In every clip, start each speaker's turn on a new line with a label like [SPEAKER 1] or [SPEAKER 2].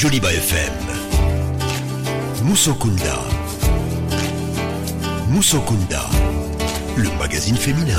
[SPEAKER 1] Joliba FM. Musokunda. Musokunda, le magazine féminin.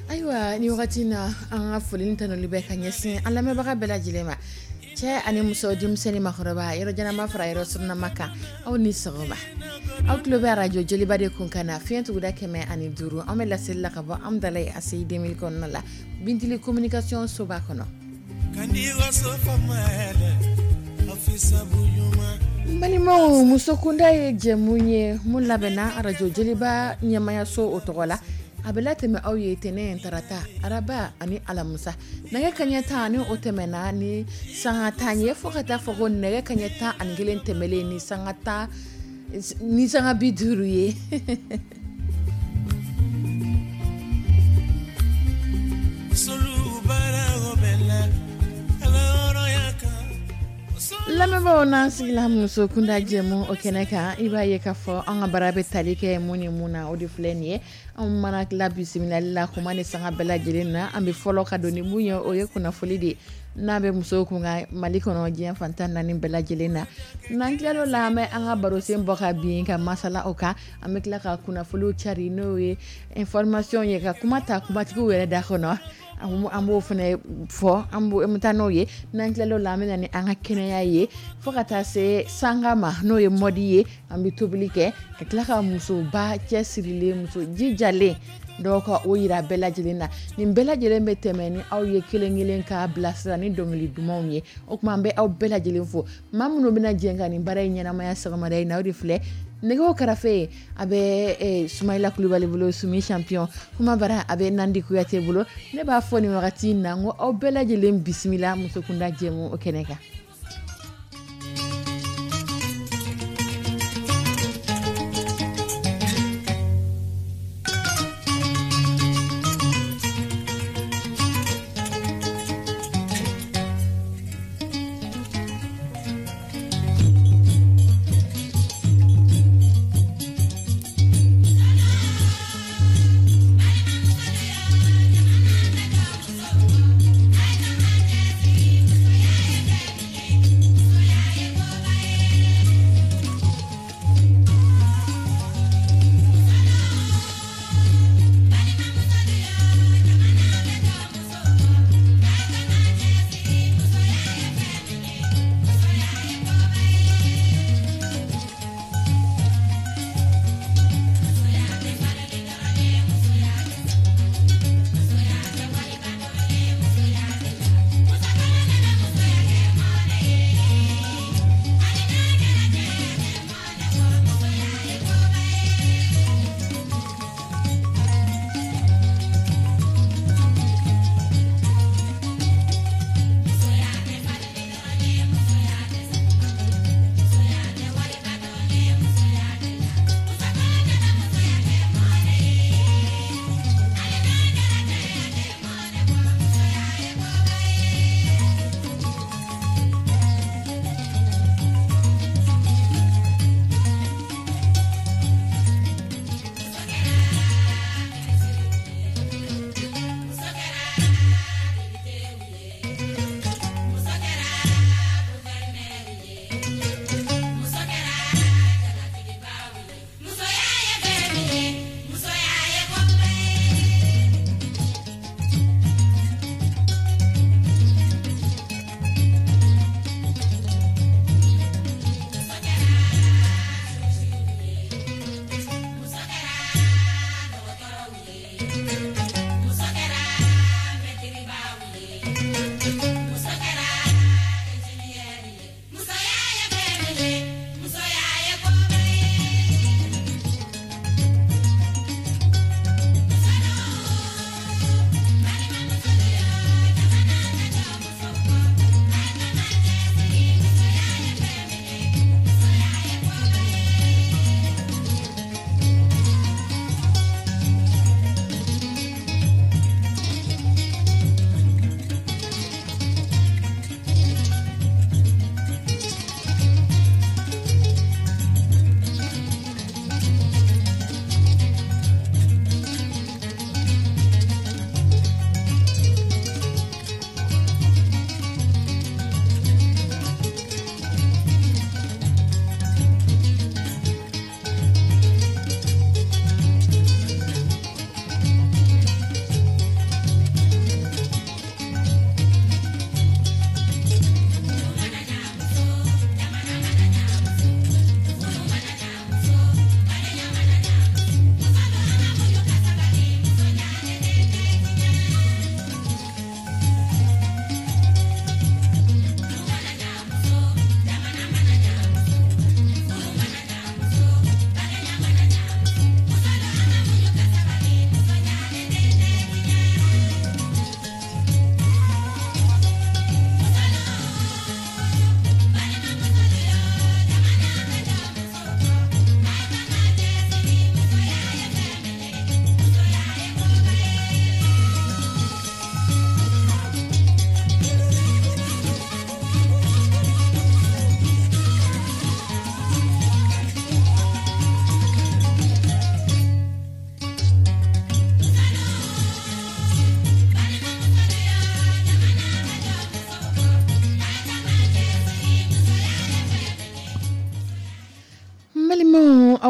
[SPEAKER 2] Ayiwa ni wagati na an ka foli tanuli bɛ ka ɲɛsin an lamɛnbaga bɛɛ lajɛlen ma. Cɛ ani muso, denmisɛnnin, makɔrɔba, yɔrɔ janama fara yɔrɔ surunama kan, aw ni sɔgɔma. Aw tulo bɛ arajo Joliba de kun kan na, fiɲɛ tuguda 105. An bɛ laseli la ka bɔ Amdalaye ACI 2000 kɔnɔna la, Bintili communication soba kɔnɔ. N balimaw, musokunda ye jɛmu ye mun labɛnna arajo Joliba ɲɛmayaso o tɔgɔ la. A bɛ latɛmɛ aw ye tɛnɛn, tarata, araba ani alamisa, nɛgɛ kaɲɛ 10 ni o tɛmɛna ni sanga 10 ye, fo ka taa fɔ ko nɛgɛ kaɲɛ 11 tɛmɛlen ni sanga 10 ni sanga 50 ye. Lamɛnbaaw, n'an sigila muso kunda jɛmu o kɛnɛ kan, i b'a ye k'a fɔ an ka bara bɛ tali kɛ mun ni mun na, o de filɛ nin ye. An mana tila bisimilali la, kuma ni sanga bɛɛ lajɛlen na, an bɛ fɔlɔ ka don ni mun ye, o ye kunnafoli de ye n'a bɛ musow kun ka Mali kɔnɔ, diɲɛ fan 14 bɛɛ lajɛlen na. N'an tilal'o la, an bɛ an ka barosen bɔ ka bin ka masala o kan. An bɛ tila ka kunnafoliw cari, n'o ye information ye, ka kuma ta kumatigiw yɛrɛ da kɔnɔ, an b'o fana fɔ, an bɛ taa n'o ye. N'an tilal'o la, an bɛ na ni an ka kɛnɛya ye, fo ka taa se sanga ma, n'o ye mode ye. An bɛ tobili kɛ ka tila ka musoba cɛsirilen, muso jijalen dɔw ka o yira bɛɛ lajɛlen na. Nin bɛɛ lajɛlen bɛ tɛmɛ ni aw ye kelen kelen k'a bilasira ni dɔnkili dumanw ye. O tuma, an bɛ aw bɛɛ lajɛlen fo. Maa minnu bɛna jɛ ka nin baara in ɲɛnamaya sɔgɔmada in na, o de filɛ: nɛgɛw karafe, a bɛ Sumayila Kulubali bolo, Sumi champion. Kuma bara, a bɛ Nandi Kuyate bolo. Ne b'a fɔ nin wagati in na n ko aw bɛɛ lajɛlen bisimila musokunda jɛmu o kɛnɛ kan.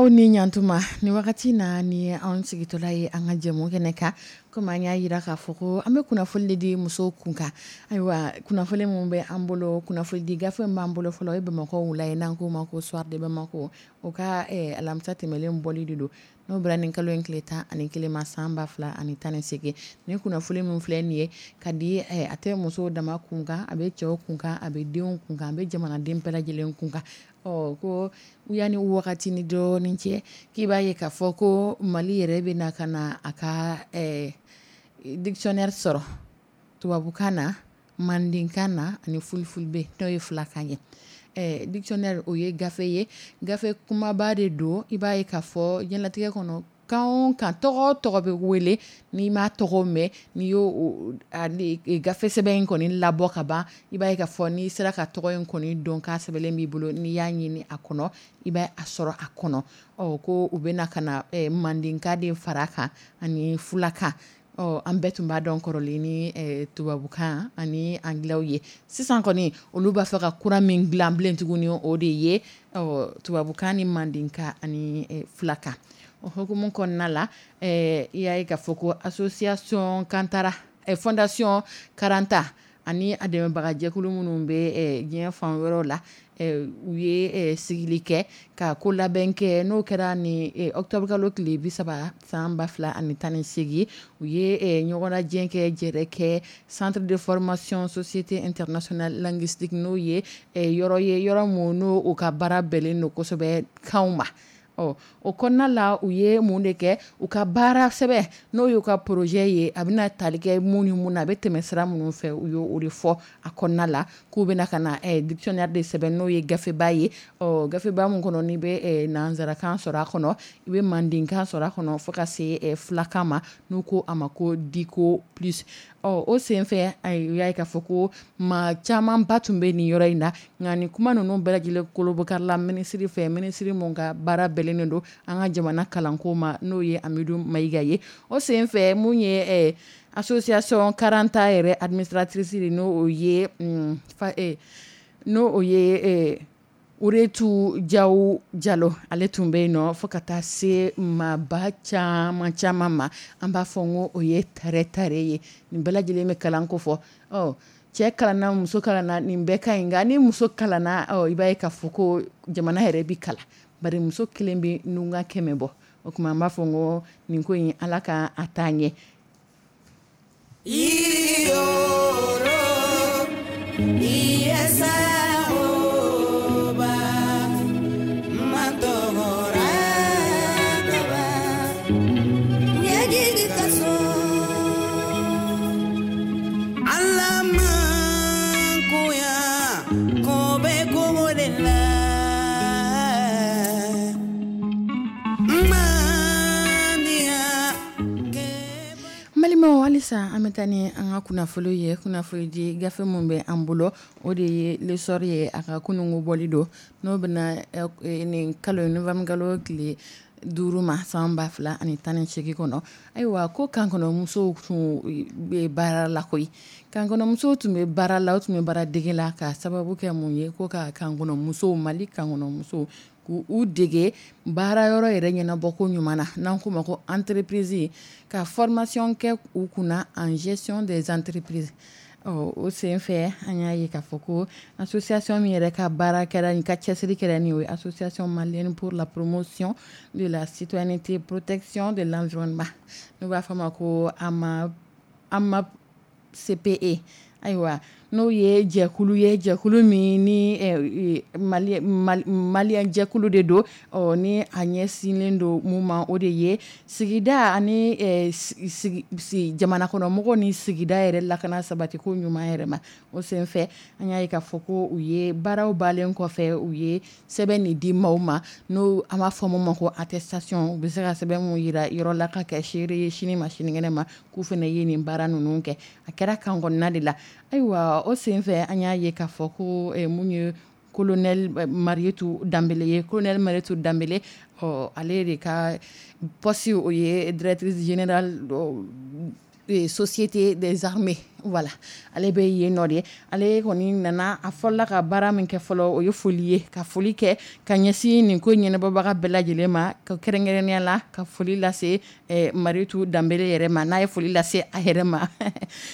[SPEAKER 2] Aw ni ɲantuma, ni wagati na ni anw sigitɔla ye an ka jɛmu kɛnɛ kan. Komi an y'a jira k'a fɔ ko an bɛ kunnafoni de di musow kun kan. Ayiwa, kunnafoni min bɛ an bolo, kunnafoni di gafe min b'an bolo fɔlɔ, o ye Bamakɔ wula ye, n'an k'o ma ko Soir de Bamako. O ka alamisa tɛmɛnen bɔli de don, n'o bɛnna nin kalo in tile 11 ma, san 2018. Ni kunnafoni min filɛ nin ye ka di, a tɛ musow dama kun kan, a bɛ cɛw kun kan, a bɛ denw kun kan, a bɛ jamanaden bɛɛ lajɛlen kun kan. Ɔ ko yanni wagati ni dɔɔnin cɛ, k'i b'a ye k'a fɔ ko Mali yɛrɛ bɛ na ka na a ka dictionnaire sɔrɔ tubabukan na, mandenkan na ani fulfulde, n'o ye fulakan ye. Dictionnaire, o ye gafe ye, gafe kumaba de don. I b'a ye k'a fɔ diɲɛlatigɛ kɔnɔ, kan o kan, tɔgɔ o tɔgɔ bɛ wele, n'i m'a tɔgɔ mɛn, n'i y'o gafe sɛbɛn in kɔni labɔ ka ban, i b'a ye k'a fɔ n'i sera ka tɔgɔ in kɔni dɔn, k'a sɛbɛnlen b'i bolo, n'i y'a ɲini a kɔnɔ, i b'a a sɔrɔ a kɔnɔ. Ɔ ko u bɛna ka na mandenkan de fara a kan ani fulakan. Ɔ an bɛɛ tun b'a dɔn kɔrɔlen ni tubabukan ani anglais ye. Sisan kɔni, olu b'a fɛ ka kura min dilan bilen tuguni, o de ye tubabukan ni mandenkan ani fulakan. O hukumu kɔnɔna la, i y'a ye k'a fɔ ko association Kantara, fondation Karanta ani a dɛmɛbagajɛkulu minnu bɛ diɲɛ fan wɛrɛw la, u ye sigili kɛ ka ko labɛn kɛ. N'o kɛra ni octobre kalo tile 30 san 2018, u ye ɲɔgɔnlajɛ kɛ, jɛrɛ kɛ centre de formation Société internationale linguistique, n'o ye yɔrɔ ye, yɔrɔ mun n'o u ka baara bɛnnen don kosɛbɛ kanw ma. Ɔ o kɔnɔna la, u ye mun de kɛ? U ka baara sɛbɛn, n'o y'u ka projet ye, a bɛna tali kɛ mun ni mun na, a bɛ tɛmɛ sira minnu fɛ, u y'o de fɔ a kɔnɔna la, k'u bɛna ka na dictionnaire de sɛbɛn, n'o ye gafeba ye. Ɔ gafeba mun kɔnɔ, n'i bɛ nanzarakan sɔrɔ a kɔnɔ, i bɛ mandenkan sɔrɔ a kɔnɔ, fo ka se fulakan ma, n'u ko a ma ko Dico plus. Ɔ o senfɛ, u y'a ye k'a fɔ ko maa camanba tun bɛ nin yɔrɔ in na. Nka nin kuma ninnu bɛɛ lajɛlen kolobokarila minisiri fɛ, minisiri mun ka baara bɛnnen don an ka jamana kalanko ma, n'o ye Amidu Mayiga ye. O senfɛ, mun ye association Karanta yɛrɛ administratrice, n'o ye Uretu Jaw Jalo, ale tun bɛ yen nɔ, fo ka taa se maaba caman caman ma. An b'a fɔ n ko o ye tare tare ye. Nin bɛɛ lajɛlen bɛ kalan ko fɔ. Ɔ cɛ kalanna, muso kalanna, nin bɛɛ ka ɲi. Nka ni muso kalanna, ɔ i b'a ye k'a fɔ ko jamana yɛrɛ bi kalan, bari muso kelen bɛ nunga 100 bɔ. O tuma an b'a fɔ n ko nin ko in, Ala ka a taa ɲɛ.
[SPEAKER 3] Yiriyoro iyesa oba matogora kaba ɲɛjigi kaso Ala mankoya ko bɛ kogo de la mandiya.
[SPEAKER 2] N balimaw, halisa an bɛ taa ni an ka kunnafoni ye. Kunnafoni di gafe min bɛ an bolo, o de ye L'Essor ye. A ka kununko bɔli don, n'o bɛna nin kalo novembre kalo tile 5 ma, san 2018 kɔnɔ. Ayiwa, ko kankɔnɔmusow tun bɛ baara la koyi. Kankɔnɔmusow tun bɛ baara la, o tun bɛ baara dege la. Ka sababu kɛ mun ye? Ko ka kankɔnɔmusow, Mali kankɔnɔmusow, k'u dege baara yɔrɔ yɛrɛ ɲɛnabɔ ko ɲuman na, n'an k'o ma ko entreprise, ka formation kɛ u kunna en gestion des entreprises. Ɔ o senfɛ, an y'a ye k'a fɔ ko association min yɛrɛ ka baara kɛra nin, ka cɛsiri kɛra nin, o ye Association malienne pour la promotion de la citoyenneté, protection de l'environnement, n'u b'a fɔ a ma ko AMA AMAP CPE. Ayiwa, n'o ye jɛkulu ye, jɛkulu min ni Mali malien jɛkulu de don. Ɔ ni a ɲɛsinnen don mun ma, o de ye sigida ani jamana kɔnɔmɔgɔw ni sigida yɛrɛ lakana sabati ko ɲuman yɛrɛ ma. O senfɛ, an y'a ye k'a fɔ ko u ye baaraw balen kɔfɛ, u ye sɛbɛn nin di maaw ma, n'o an b'a fɔ mun ma ko attestation. U bɛ se ka sɛbɛn mun yira yɔrɔ la ka kɛ seere ye sini ma sinikɛnɛ ma, k'u fana ye nin baara ninnu kɛ. A kɛra kan kɔnɔna de la. Ayiwa, o senfɛ, an y'a ye k'a fɔ ko mun ye colonel Marietou Dembele ye, colonel Marietou Dembele, ɔ ale de ka poste, o ye directrice générale. Société des armées, voilà, ale bɛ yen nɔ de. Ale kɔni nana, a fɔlɔla ka baara min kɛ fɔlɔ, o ye foli ye, ka foli kɛ ka ɲɛsin nin ko ɲɛnabɔbaga bɛɛ lajɛlen ma, ka kɛrɛnkɛrɛnnenya la ka foli lase Maritu Danbele yɛrɛ ma, n'a ye foli lase a yɛrɛ ma.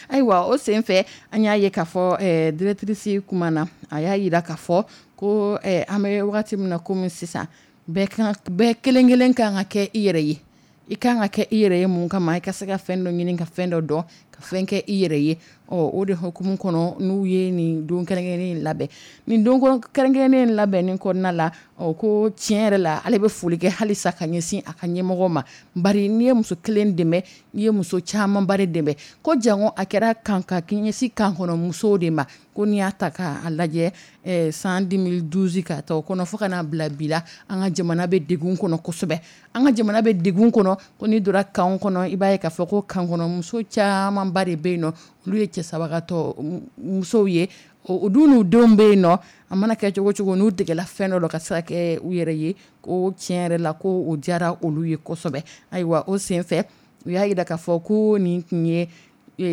[SPEAKER 2] Ayiwa, o senfɛ, an y'a ye k'a fɔ directrice kuma na, a y'a jira k'a fɔ ko an bɛ wagati min na komi sisan, bɛɛ kelen kelen kan ka kɛ i yɛrɛ ye. I kan ka kɛ i yɛrɛ ye mun kama? I ka se ka fɛn dɔ ɲini, ka fɛn dɔ dɔn, ka fɛn kɛ i yɛrɛ ye. Ɔ, o de hukumu kɔnɔ, n'u ye nin don kɛrɛnkɛrɛnnen in labɛn. Nin don kɛrɛnkɛrɛnnen in labɛnnen kɔnɔna la, ɔ, ko tiɲɛ yɛrɛ la, ale bɛ foli kɛ halisa ka ɲɛsin a ka ɲɛmɔgɔ ma, bari n'i ye muso kelen dɛmɛ, n'i ye muso camanba de dɛmɛ. Ko jango a kɛra kan ka ɲɛsin kan kɔnɔ musow de ma. Ko n'i y'a ta k'a lajɛ, san 2012 ka ta o kɔnɔ fo ka n'a bila bi la, an ka jamana bɛ degun kɔnɔ kosɛbɛ, an ka jamana bɛ degun kɔnɔ. Ko n'i donna kan kɔnɔ, i b'a ye k'a fɔ ko kan kɔnɔ muso camanba de bɛ yen nɔ, olu ye cɛsabagatɔ musow ye. O dun, n'u denw bɛ yen nɔ, a mana kɛ cogo cogo, n'u degela fɛn dɔ la ka se ka kɛ u yɛrɛ ye, ko tiɲɛ yɛrɛ la, ko o diyara olu ye kosɛbɛ. Ayiwa, o senfɛ, u y'a jira k'a fɔ ko nin tun ye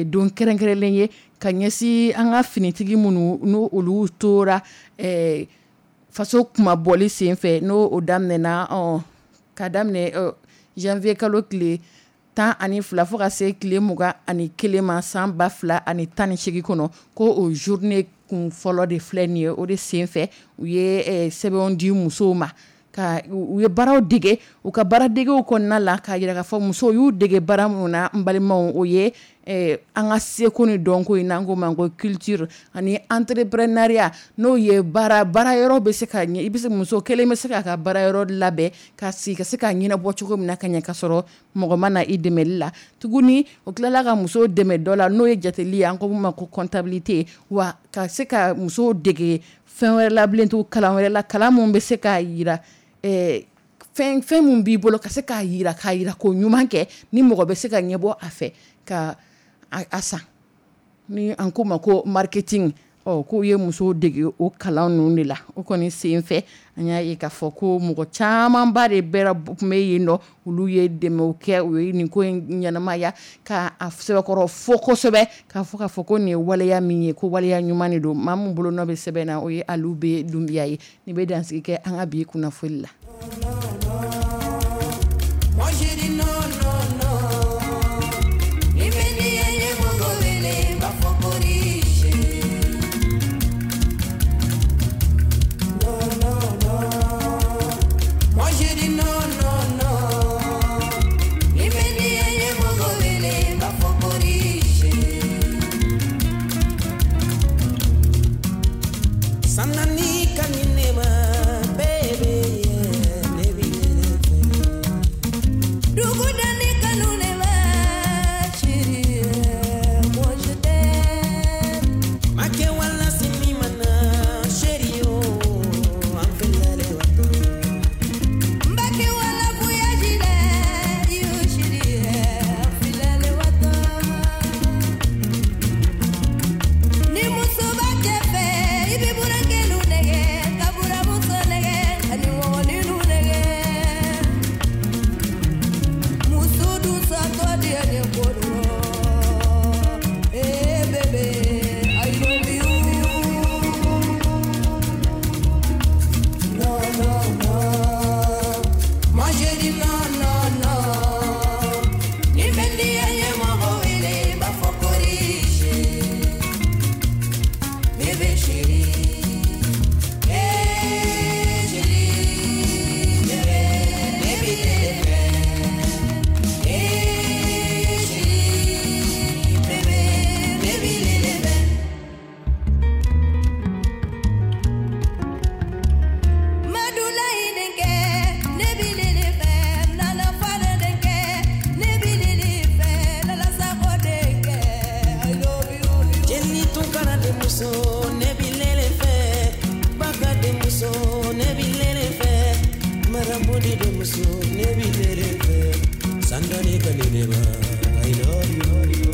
[SPEAKER 2] don kɛrɛnkɛrɛnlen ye ka ɲɛsin an ka finitigi minnu n'o olu tora faso kunmabɔli senfɛ, n'o o daminɛna ka daminɛ janvier kalo tile 12 fo ka se tile 21 ma san 2018 kɔnɔ, ko o journée kun fɔlɔ de filɛ nin ye. O de senfɛ, u ye sɛbɛnw di musow ma, ka u ye baaraw dege. U ka baaradegew kɔnɔna la, k'a jira k'a fɔ musow y'u dege baara minnu na, n balimaw, o ye an ka seko ni dɔnko ye, n'an ko ma ko culture ani entrepreneuriat, n'o ye baara baara yɔrɔ bɛ se ka ɲɛ, i bɛ se, muso kelen bɛ se k'a ka baara yɔrɔ labɛn ka sigi ka se ka ɲɛnabɔ cogo min na ka ɲɛ, ka sɔrɔ mɔgɔ ma na i dɛmɛli la tuguni. O tilala ka musow dɛmɛ dɔ la, n'o ye jateli ye, an ko min ma ko comptabilité. Wa ka se ka musow dege fɛn wɛrɛ la bilen to kalan wɛrɛ la, kalan mun bɛ se k'a yira fɛn fɛn mun b'i bolo, ka se k'a yira, k'a yira ko ɲuman kɛ, ni mɔgɔ bɛ se ka ɲɛbɔ a fɛ ka a san, ni an ko ma ko marketing. Ɔ, k'u ye musow dege o kalan ninnu de la. O kɔni sen fɛ, an y'a ye k'a fɔ ko mɔgɔ camanba de bɛɛ tun bɛ yen nɔ, olu ye dɛmɛw kɛ, u ye nin ko in ɲɛnamaya ka a sɛbɛkɔrɔ fo kosɛbɛ, k'a fɔ ko nin ye waleya min ye, ko waleya ɲuman de don. Maa min bolo nɔ bɛ sɛbɛn na, o ye Alu B Dunbiya ye. Nin bɛ dansigi kɛ an ka bi kunnafoni la.
[SPEAKER 3] Moi j'ai dit non, non, non. Ni bɛ ye mɔgɔ wele b'a fɔ ko riche. Non, non, non. Moi j'ai dit non, non, non. Ni bɛ ye mɔgɔ wele b'a fɔ ko riche. Sanani ka ni ne ma, baby, yeah, ne b'i yɛrɛ fɛ. Dugudani kanu ne ma, chérie, moi je t'aime. Make wala sini mana, chérie, oh, an filɛ wato. Mbake wala voyage la, yo chérie, an filɛ wato. Ni muso b'a cɛ fɛ, i bɛ burankɛnu nɛgɛ, ka buramuso nɛgɛ, ani mɔgɔninnu nɛgɛ. Muso dun satɔ diya ni ko dɔ. Eh bébé, I love you. Non, non, non. Moi j'ai dit non, non, non. Ni bɛ diya ye mɔgɔ wele b'a fɔ ko riche. Bébé chéri, eh chéri, bébé, bébé bébé. Eh chéri, bébé, bébé bébé. Madulayi denkɛ, ne bi lele fɛ, Nana Fale denkɛ, ne bi lele fɛ, Lala Sakɔ denkɛ, I love you. Jenny Tunkara denmuso, ne bi lele fɛ. Baka denmuso, ne bi lele fɛ. Maraboli denmuso, ne bi lele fɛ. Sangare ka ni ne ma, I love you.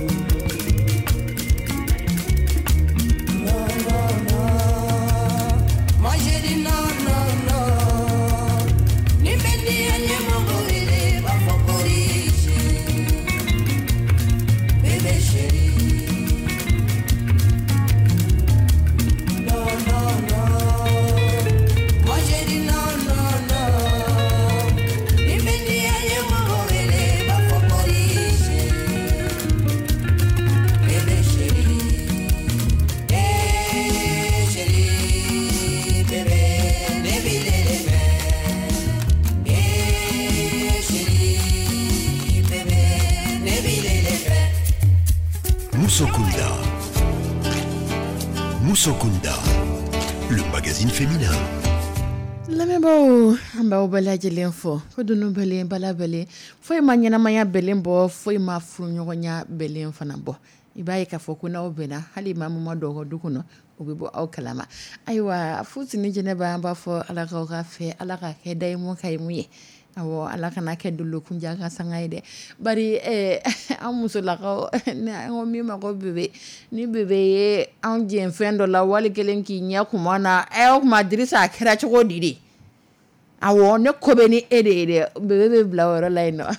[SPEAKER 3] Non, non, non. Moi j'ai dit non, non, non. Ni bɛ diya ye mɔgɔ wele b'a fɔ ko riche. Bébé.
[SPEAKER 1] Musokunda. Musokunda, le magazine féminin.
[SPEAKER 2] Lamɛnbaaw, an b'aw bɛɛ lajɛlen fɔ ko dunun bɛlen bala bɛlen, foyi ma ɲɛnamaya bɛlen bɔ, foyi ma furuɲɔgɔnya bɛlen fana bɔ. I b'a ye k'a fɔ ko n'aw bɛnna, hali maa min ma don aw ka du kɔnɔ, o bɛ bɔ aw kalama. Ayiwa, Fuseni Jɛnɛba, an b'a fɔ Ala k'aw ka fɛ, Ala ka kɛ dayimu kayimu ye. Awɔ, Ala kana kɛ dolokunjan ka sanga ye dɛ. Bari an musolakaw, an ko min ma ko bebe, ni bebe ye anw jɛ fɛn dɔ la, wali kelen k'i ɲɛ kuma na, o tuma Dirisa, a kɛra cogo di de? Awɔ, ne ko bɛ ni e de ye dɛ. Bebe bɛ bila o yɔrɔ la yen nɔ,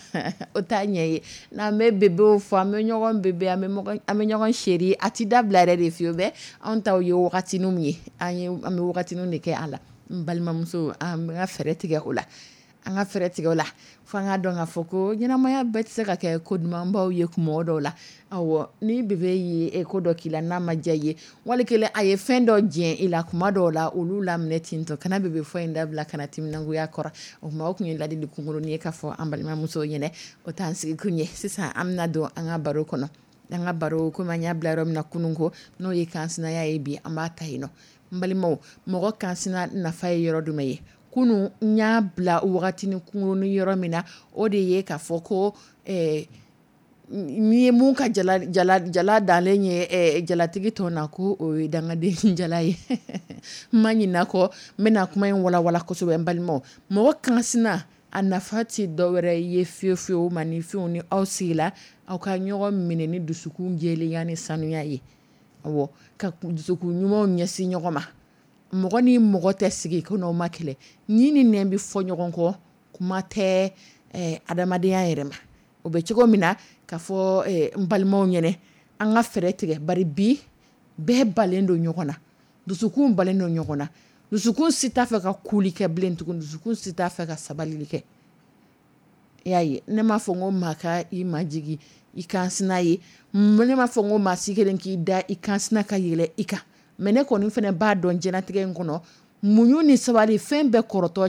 [SPEAKER 2] o t'a ɲɛ ye. N'an bɛ bebew fɔ, an bɛ ɲɔgɔn bebe, an bɛ ɲɔgɔn chéri, a ti dabila yɛrɛ de fiyewu bɛɛ. Anw taw ye wagatiniw ye, an bɛ wagatiniw de kɛ a la. N balimamuso, an ka fɛɛrɛ tigɛ o la. An ka fɛɛrɛ tigɛ o la fo an ka dɔn k'a fɔ ko ɲɛnamaya bɛɛ tɛ se ka kɛ ko dumanbaw ye kuma dɔw la. Awɔ, ni bebe ye ko dɔ k'i la n'a ma diya i ye, wali kelen a ye fɛn dɔ jɛ i la kuma dɔw la, olu laminɛ ten tɔ, kana bebe fɔ in dabila, kana timinangoya kɔrɔ. O tuma, o tun ye ladili kunkurunin ye k'a fɔ an balimamusow ɲɛna. O t'an sigi kun ye. Sisan an bɛna don an ka baro kɔnɔ. An ka baro, komi an y'a bila yɔrɔ min na kunun ko, n'o ye kansinaya ye, bi an b'a ta yen nɔ. N balimaw, mɔgɔ kansina nafa ye yɔrɔ jumɛn ye? Kunun n y'a bila wagatinin kunkurunin yɔrɔ min na, o de ye k'a fɔ ko n'i ye mun ka jala jala jala dalen ye jalatigi tɔ na, ko o ye dangaden jala ye. N ma ɲinɛ kɔ, n bɛna kuma in walawala kosɛbɛ. N balimaw, mɔgɔ kansina a nafa tɛ dɔwɛrɛ ye fiyewu fiyewu, maninfinw, ni aw sigila, aw ka ɲɔgɔn minɛ ni dusukun jɛlenya ni sanuya ye. Awɔ, ka dusukun ɲumanw ɲɛsin ɲɔgɔn ma. Mɔgɔ ni mɔgɔ tɛ sigi ko n'aw ma kɛlɛ. Ni ni nɛn bɛ fɔ ɲɔgɔn kɔ, kuma tɛ adamadenya yɛrɛ ma. O bɛ cogo min na, k'a fɔ n balimaw ɲɛna, an ka fɛɛrɛ tigɛ, bari bi bɛɛ balen don ɲɔgɔn na, dusukun balen don ɲɔgɔn na, dusukun si t'a fɛ ka kuli kɛ bilen tugun, dusukun si t'a fɛ ka sabali kɛ. I y'a ye, ne m'a fɔ n ko maa ka i majigi i kansina ye, ne m'a fɔ n ko maa si kelen k'i da i kansina ka yɛlɛ i kan, mais ne kɔni fana b'a dɔn diɲɛlatigɛ in kɔnɔ, muɲu ni sabali, fɛn bɛɛ kɔrɔtɔ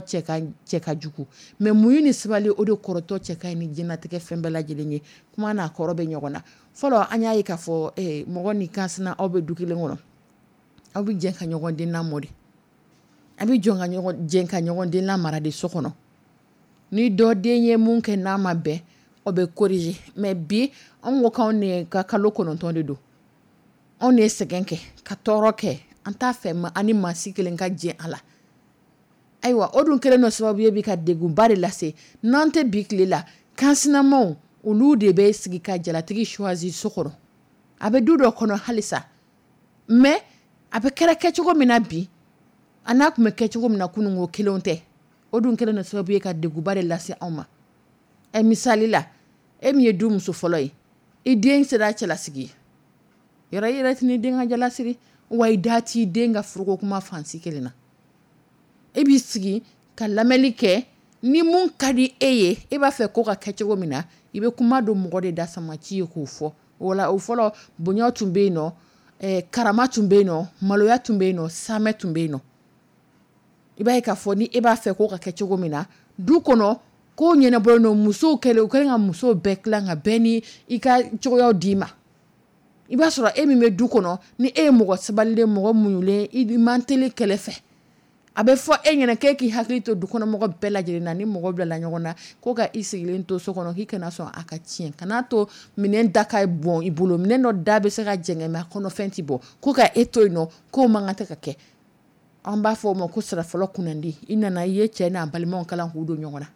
[SPEAKER 2] cɛ ka jugu, mais muɲu ni sabali, o de kɔrɔtɔ cɛ ka ɲi ni diɲɛlatigɛ fɛn bɛɛ lajɛlen ye. Kuma n'a kɔrɔ bɛ ɲɔgɔn na. Fɔlɔ, an y'a ye k'a fɔ mɔgɔ ni kansina, aw bɛ du kelen kɔnɔ, aw bɛ jɛ ka ɲɔgɔn den lamɔ de, a bɛ jɔ ka ɲɔgɔn jɛ ka ɲɔgɔn den lamara de so kɔnɔ. Ni dɔ den ye mun kɛ n'a ma bɛn, o bɛ corriger. Mais bi, anw ko k'anw de ka kalo 9 de don, anw de ye sɛgɛn kɛ ka tɔɔrɔ kɛ, an t'a fɛ ma ani maa si kelen ka jɛ a la. Ayiwa, o dun kɛlen dɔ sababu ye bi ka degunba de lase n'an tɛ bi tile la. Kansinamaw, olu de bɛ sigi ka jalatigi choisi so kɔnɔ. A bɛ du dɔ kɔnɔ halisa, mais a bɛ kɛra kɛcogo min na bi, a n'a tun bɛ kɛ cogo min na kunun ko, kelenw tɛ. O dun kɛlen dɔ sababu ye ka degunba de lase anw ma. Ɛ, misali la, e min ye du muso fɔlɔ ye, i den sera cɛlasigi ye, yɔrɔ i yɛrɛ tɛn'i den ka jala siri wa, i da t'i den ka furuko kuma fansi kelen na. E b'i sigi ka lamɛnli kɛ. Ni mun ka di e ye, e b'a fɛ ko ka kɛ cogo min na, i bɛ kuma don mɔgɔ de da samaci ye k'o fɔ. Wala o fɔlɔ, bonya tun bɛ yen nɔ, karama tun bɛ yen nɔ, maloya tun bɛ yen nɔ, samɛ tun bɛ yen nɔ. I b'a ye k'a fɔ ni e b'a fɛ ko ka kɛ cogo min na du kɔnɔ, ko ɲɛnabɔlen don. Musow kɛlen, u kɛlen ka musow bɛɛ tilan ka bɛɛ ni i ka cogoyaw d'i ma. I b'a sɔrɔ e min bɛ du kɔnɔ, ni e ye mɔgɔ sabalilen, mɔgɔ muɲulen, i man teli kɛlɛ fɛ, a bɛ fɔ e ɲɛna k'e k'i hakili to du kɔnɔmɔgɔ bɛɛ lajɛlen na. Ni mɔgɔ bilala ɲɔgɔn na, ko ka i sigilen to so kɔnɔ, k'i kana sɔn a ka tiɲɛ, kana to minɛn da ka bɔn i bolo, minɛn dɔ da bɛ se ka jɛngɛ mais a kɔnɔfɛn ti bɔ, ko ka e to yen nɔ, k'o man kan tɛ ka kɛ. An b'a fɔ o ma ko sira fɔlɔ kunnandi. I nana, i ye cɛ n'a balimaw kalan k'u don ɲɔgɔn na,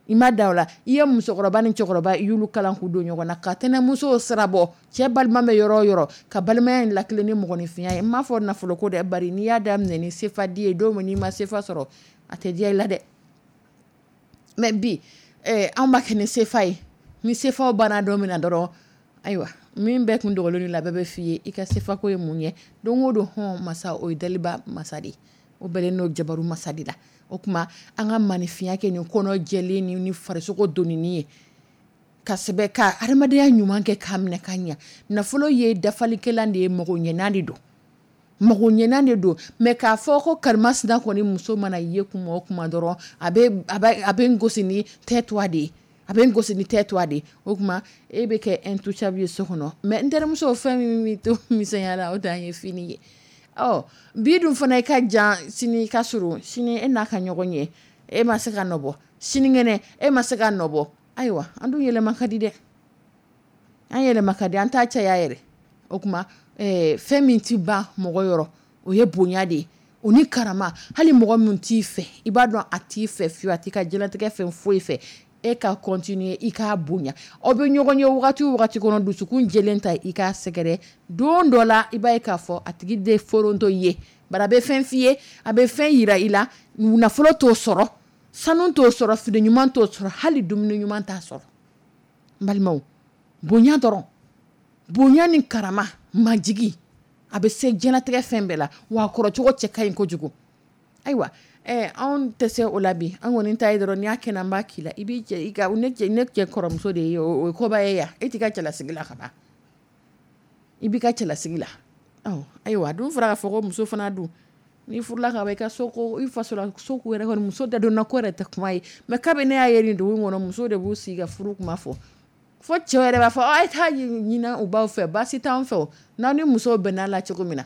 [SPEAKER 2] i ma da o la. I ye musokɔrɔba ni cɛkɔrɔba, i y'olu kalan k'u don ɲɔgɔn na, ka tɛnɛmuso sira bɔ cɛ balima bɛ yɔrɔ o yɔrɔ, ka balimaya in lakile ni mɔgɔninfinya ye. N m'a fɔ nafolo ko dɛ, bari n'i y'a daminɛ ni sefa di ye, don min n'i ma sefa sɔrɔ, a tɛ diya i la dɛ. Mais bi anw b'a kɛ ni sefa ye. Ni sefaw banna don min na dɔrɔn, ayiwa, min bɛɛ kun dogolen la, bɛɛ bɛ f'i ye i ka sefako ye mun ye don o don. Hɔn masa, o ye daliba masa de ye, o bɛlen n'o jabaru masa de la. O tuma, an ka maninfinya kɛ nin kɔnɔ jɛlen ni farisogo donini ye, ka sɛbɛ ka adamadenya ɲuman kɛ k'a minɛ ka ɲɛ. Nafolo ye dafalikɛlan de ye, mago ɲɛnan de don, mago ɲɛnan de don. Mais k'a fɔ ko karimasina kɔni muso mana ye kuma o kuma dɔrɔn, a bɛ n gosi ni tais-toi de ye. A bɛ n gosi ni tais-toi de. O tuma e bɛ kɛ intouchable ye so kɔnɔ. Mais n terimuso, fɛn min bɛ to misɛnya la, o dan ye fini ye. Ɔ bi dun fana, i ka jan, sini i ka surun, sini e n'a ka ɲɔgɔn ye, e ma se ka nɔbɔ, sinikɛnɛ e ma se ka nɔbɔ. Ayiwa, an dun yɛlɛma ka di dɛ, an yɛlɛma ka di, an t'a caya yɛrɛ. O tuma fɛn min tɛ ban mɔgɔ yɔrɔ, o ye bonya de ye, o ni karama. Hali mɔgɔ min t'i fɛ, i b'a dɔn a t'i fɛ fiyewu, a t'i ka diɲɛlatigɛ fɛn foyi fɛ, e ka continuer i k'a bonya. Aw bɛ ɲɔgɔn ye wagati o wagati kɔnɔ, dusukun jɛlen ta, i k'a sɛgɛrɛ. Don dɔ la, i b'a ye k'a fɔ a tigi de foronto i ye, bari a bɛ fɛn f'i ye, a bɛ fɛn yira i la. Nafolo t'o sɔrɔ, sanu t'o sɔrɔ, fini ɲuman t'o sɔrɔ, hali dumuni ɲuman t'a sɔrɔ. N balimaw, bonya dɔrɔn, bonya ni karama, majigi, a bɛ se diɲɛlatigɛ fɛn bɛɛ la, wa a kɔrɔcogo cɛ ka ɲi kojugu. Ayiwa, anw tɛ se o la bi. An kɔni ta ye dɔrɔn, n'i y'a kɛ, an b'a k'i la. I b'i cɛ, i ka ne cɛ, ne cɛ kɔrɔmuso de ye, o ye koba ye yan. E t'i ka cɛlasigi la ka ban, i b'i ka cɛlasigi la. Ayiwa, dun fɔra k'a fɔ ko muso fana dun, n'i furula ka ban, i ka so ko, i faso la so ko yɛrɛ kɔni, muso da donna ko yɛrɛ tɛ kuma ye. Mais kabini ne y'a ye nin dugu in kɔnɔ, muso de b'u sigi ka furu kuma fɔ, fo cɛw yɛrɛ b'a fɔ a ye taa ɲini u baw fɛ, baasi t'an fɛ o, n'aw ni musow bɛnna la cogo min na.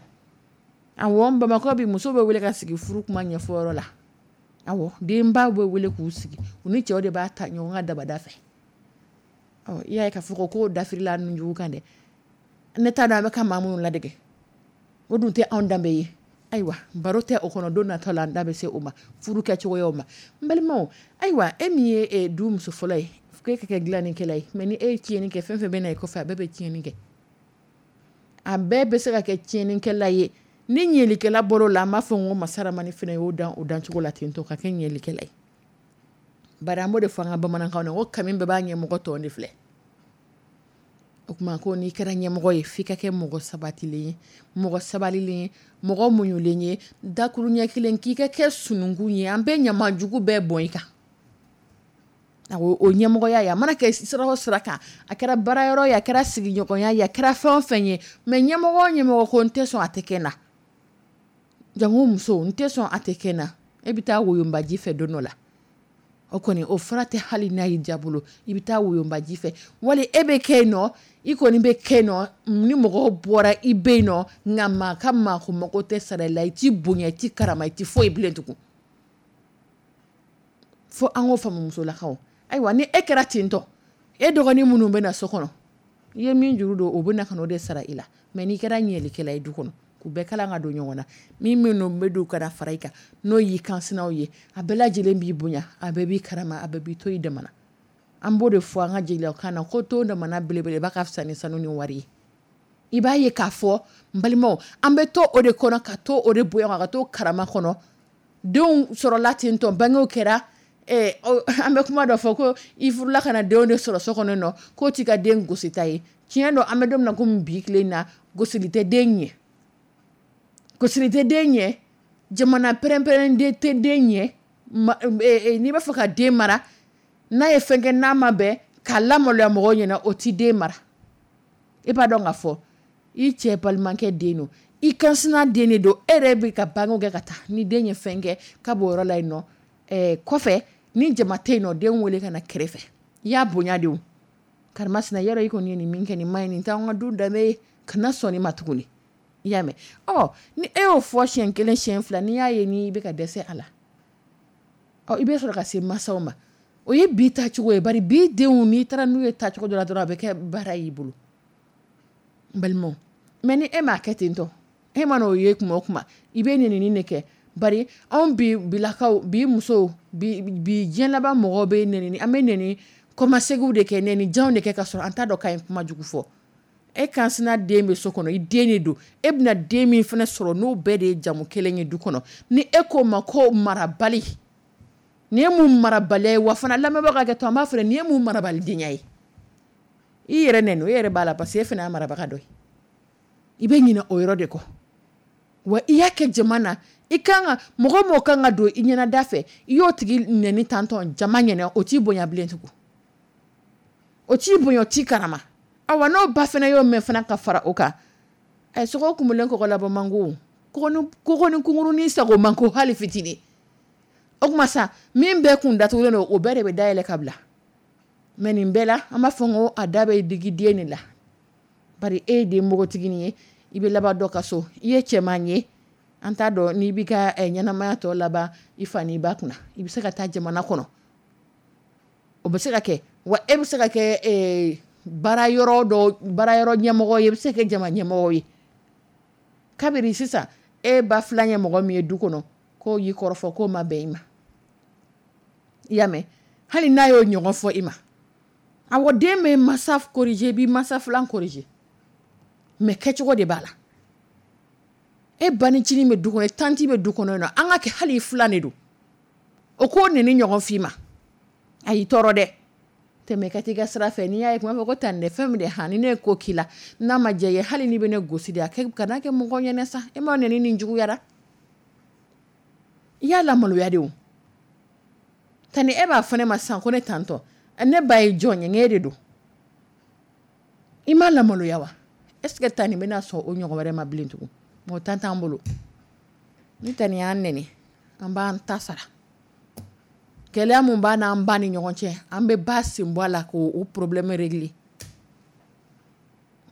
[SPEAKER 2] Awɔ, Bamakɔ bi, muso bɛ wele ka sigi furu kuma ɲɛfɔyɔrɔ la. Awɔ, denbaw bɛ wele k'u sigi, u ni cɛw de b'a ta ɲɔgɔn ka dabada fɛ. Ɔ, i y'a ye k'a fɔ ko dafirila ninjugu kan dɛ. Ne t'a dɔn an bɛ ka maa minnu ladege, o dun tɛ anw danbe ye. Ayiwa, baro tɛ o kɔnɔ, don natɔ la an da bɛ se o ma, furu kɛcogoyaw ma. N balimaw, ayiwa, e min ye du muso fɔlɔ ye, k'e ka kɛ dilannikɛla ye, mais ni e ye tiɲɛni kɛ, fɛn fɛn bɛ na i kɔfɛ, a bɛɛ bɛ tiɲɛni kɛ, a bɛɛ bɛ se ka kɛ tiɲɛnikɛla ye. Ni ɲɛlikɛla bɔr'o la, an b'a fɔ ko masaramani fana y'o dan o dancogo la ten tɔ ka kɛ ɲɛlikɛla ye. Bari an b'o de fɔ an ka bamanankan na ko kami bɛɛ b'a ɲɛmɔgɔ tɔn de filɛ. O tuma ko n'i kɛra ɲɛmɔgɔ ye, f'i ka kɛ mɔgɔ sabatilen ye, mɔgɔ sabalilen ye, mɔgɔ muɲulen ye. Dakuruɲɛ kelen, k'i ka kɛ sununkun ye, an bɛ ɲamajugu bɛɛ bɔn i kan. O ɲɛmɔgɔya ye, a mana kɛ sira o sira kan, a kɛra baarayɔrɔ ye, a kɛra sigiɲɔgɔnya ye, a kɛra fɛn o fɛn ye, mais ɲɛmɔgɔ o ɲɛmɔgɔ ko n tɛ sɔn a tɛ kɛ n na, jango muso, n tɛ sɔn a tɛ kɛ n na, e bɛ taa woyonbaji fɛ don dɔ la. O kɔni, o fura tɛ hali n'a y'i diya bolo, i bɛ taa woyonbaji fɛ, wali e bɛ kɛ yen nɔ, i kɔni bɛ kɛ yen nɔ, ni mɔgɔw bɔra i bɛ yen nɔ, nka maa ka maa ko mago tɛ sara i la, i t'i bonya, i t'i karama, i t'i foyi bilen tugun. Fo an k'o faamu musolakaw. Ayiwa, ni e kɛra ten tɔ, e dɔgɔnin minnu bɛ na so kɔnɔ, i ye min juru don, o bɛ na ka n'o de sara i la. Mais n'i kɛra ɲɛlikɛla ye du kɔnɔ, k'u bɛɛ kalan ka don ɲɔgɔn na, ni minnu bɛ don ka na fara i kan, n'o y'i kansinaw ye, a bɛɛ lajɛlen b'i bonya, a bɛɛ b'i karama, a bɛɛ b'i to i damana. An b'o de fɔ an ka jeliya kan na ko to damana belebeleba ka fisa ni sanu ni wari ye. I b'a ye k'a fɔ n balimaw, an bɛ to o de kɔnɔ, ka to o de bonya, ka to karama kɔnɔ. Denw sɔrɔla ten tɔ, bangew kɛra. An bɛ kuma dɔ fɔ ko i furula ka na denw de sɔrɔ so kɔnɔ nɔ, k'o t'i ka den gosita ye. Tiɲɛ don, an bɛ don min na komi bi tile in na, gosili tɛ den ɲɛ, gosili tɛ den ɲɛ, jamana pɛrɛn-pɛrɛn tɛ den ɲɛ. N'i b'a fɛ ka den mara, n'a ye fɛn kɛ n'a ma bɛn, k'a lamaloya mɔgɔw ɲɛna, o t'i den mara. E b'a dɔn k'a fɔ i cɛ balimakɛ den don, i kansina den de don, e yɛrɛ bɛ ka bangew kɛ ka taa, ni den ye fɛn kɛ ka b'o yɔrɔ la yen nɔ, kɔfɛ ni jama tɛ yen nɔ, den wele ka na kɛrɛfɛ, i y'a bonya de o, karimasina, yɔrɔ i kɔni ye nin min kɛ, nin ma ɲi, nin t'anw ka du danbe ye, kana sɔn nin ma tuguni. I y'a mɛn? Ɔ, ni e y'o fɔ siɲɛ kelen, siɲɛ fila, n'i y'a ye n'i bɛ ka dɛsɛ a la, ɔ, i bɛ sɔrɔ ka se mansaw ma. O ye bi taacogo ye. Bari bi denw, n'i taara n'u ye taacogo dɔ la dɔrɔn, a bɛ kɛ baara y'i bolo, n balimaw. Mais ni e m'a kɛ ten tɔ, e ma n'o ye kuma o kuma, i bɛ nɛnini de kɛ. Bari anw bi bilakaw, bi musow, bi diɲɛ laban mɔgɔw bɛ nɛnini, an bɛ nɛni kɔmasegiw de kɛ, nɛni janw de kɛ, ka sɔrɔ an t'a dɔn k'an ye kuma jugu fɔ. E kansina den bɛ so kɔnɔ, i den de don, e bɛna den min fana sɔrɔ, n'o bɛɛ de ye jamu kelen ye du kɔnɔ, ni e k'o ma ko marabali, nin ye mun marabaliya ye? Wa fana, lamɛnbagaw ka hakɛ to, an b'a fɔ nin ye mun marabalidenya ye? I yɛrɛ nɛni, o yɛrɛ b'a la, parce que e fana y'a marabaga dɔ ye. I bɛ ɲinɛ o yɔrɔ de kɔ. Wa i y'a kɛ jama na, i kan ka mɔgɔ mɔgɔ kan ka don i ɲɛnada fɛ, i y'o tigi nɛni tantɔn jama ɲɛna, o t'i bonya bilen tugun, o t'i bonya, o t'i karama. Awa, n'o ba fana y'o mɛn fana ka fara o kan, ɛ, sogo kumulen kɔgɔ labɔ man go, kɔgɔ ni kunkurunin sago man ko hali fitinin. O tuma sa, min bɛɛ kun datugulen don, o bɛɛ de bɛ dayɛlɛ ka bila. Mais nin bɛɛ la, an b'a fɔ ko a da bɛ digi den de la, bari e ye den npogotiginin ye, i bɛ laban dɔ ka so, i ye cɛman ye, an t'a dɔn n'i b'i ka ɲɛnamaya tɔ laban i fa n'i ba kunna. I bɛ se ka taa jamana kɔnɔ, o bɛ se ka kɛ, wa e bɛ se ka kɛ baara yɔrɔ dɔ baara yɔrɔ ɲɛmɔgɔ ye, i bɛ se ka kɛ jama ɲɛmɔgɔ ye. Kabiri sisan e ba filan ye mɔgɔ min ye du kɔnɔ, k'o y'i kɔrɔfɔ k'o ma bɛn i ma, i y'a mɛn, hali n'a y'o ɲɔgɔn fɔ i ma, awɔ, den bɛ masa corriger, i b'i masa filan corriger, mais kɛcogo de b'a la. E banicinin bɛ du kɔnɔ, tantie bɛ du kɔnɔ, an ka kɛ hali filan de don, o k'o neni ɲɔgɔn f'i ma, a y'i tɔɔrɔ dɛ, tɛmɛ ka t'i ka sira fɛ. N'i y'a ye kuma fɔ ko tan dɛ, fɛn min de han, ni ne ye ko k'i la n'a ma diya i ye, hali n'i bɛ ne gosi de, a kɛ kana kɛ mɔgɔ ɲɛna sa, e ma neni nin juguyara, i y'a lamaloya de o. Tani e b'a fɔ ne ma sisan ko ne tantɔ, ne ba ye jɔn ye, e de don, i m'a lamaloya wa? Est ce que tani bɛna sɔn o ɲɔgɔn wɛrɛ ma bilen tugun? Mɔgɔ tan t'an bolo. Ni tani y'an neni, an b'an ta sara. Gɛlɛya mun b'a n'an ba ni ɲɔgɔn cɛ, an bɛ ba sen bɔ a la k'o problème régler.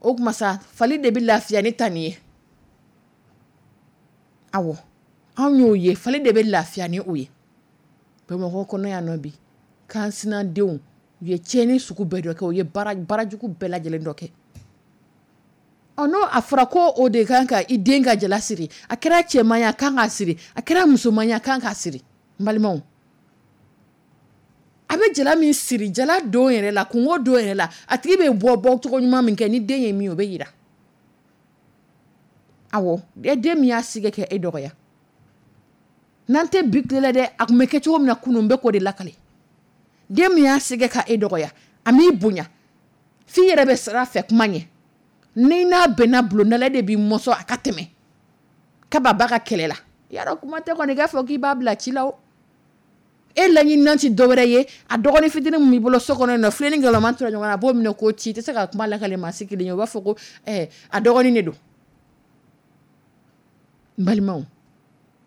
[SPEAKER 2] O tuma sa, fali de bɛ lafiya ni tani ye. Awɔ, anw y'o ye, fali de bɛ lafiya ni o ye. Bamakɔ kɔnɔ yan nɔ bi, kan sinadenw u ye tiɲɛni sugu bɛɛ dɔ kɛ, u ye baarajugu bɛɛ lajɛlen dɔ kɛ. Ɔ, n'o a fɔra ko o de kan ka i den ka jala siri, a kɛra cɛman ye a kan k'a siri, a kɛra musoman ye a kan k'a siri. N balimaw, a bɛ jala min siri, jala don yɛrɛ la, kungo don yɛrɛ la, a tigi bɛ bɔ bɔcogo ɲuman min kɛ, ni den ye min ye, o bɛ yira. Awɔ, den min y'a sigi kɛ e dɔgɔya, n'an tɛ bi tile la dɛ, a tun bɛ kɛ cogo min na kunun, n bɛ k'o de lakale. Den min y'a sigi ka e dɔgɔya, a m'i bonya, f'i yɛrɛ bɛ sira fɛ kuma ɲɛ, ni n'a bɛnna bulonda la, e de b'i mɔsɔn a ka tɛmɛ kaba ba ka kɛlɛ la. Yarɔ, kuma tɛ kɔni i k'a fɔ k'i b'a bila ci la o. E laɲininan tɛ dɔwɛrɛ ye, a dɔgɔnin fitinin min b'i bolo so kɔnɔ yen nɔ, filen ni galama tora ɲɔgɔn na, a b'o minɛ k'o ci, i tɛ se ka kuma lakale maa si kelen ye, o b'a fɔ ko a dɔgɔnin de don. N balimaw,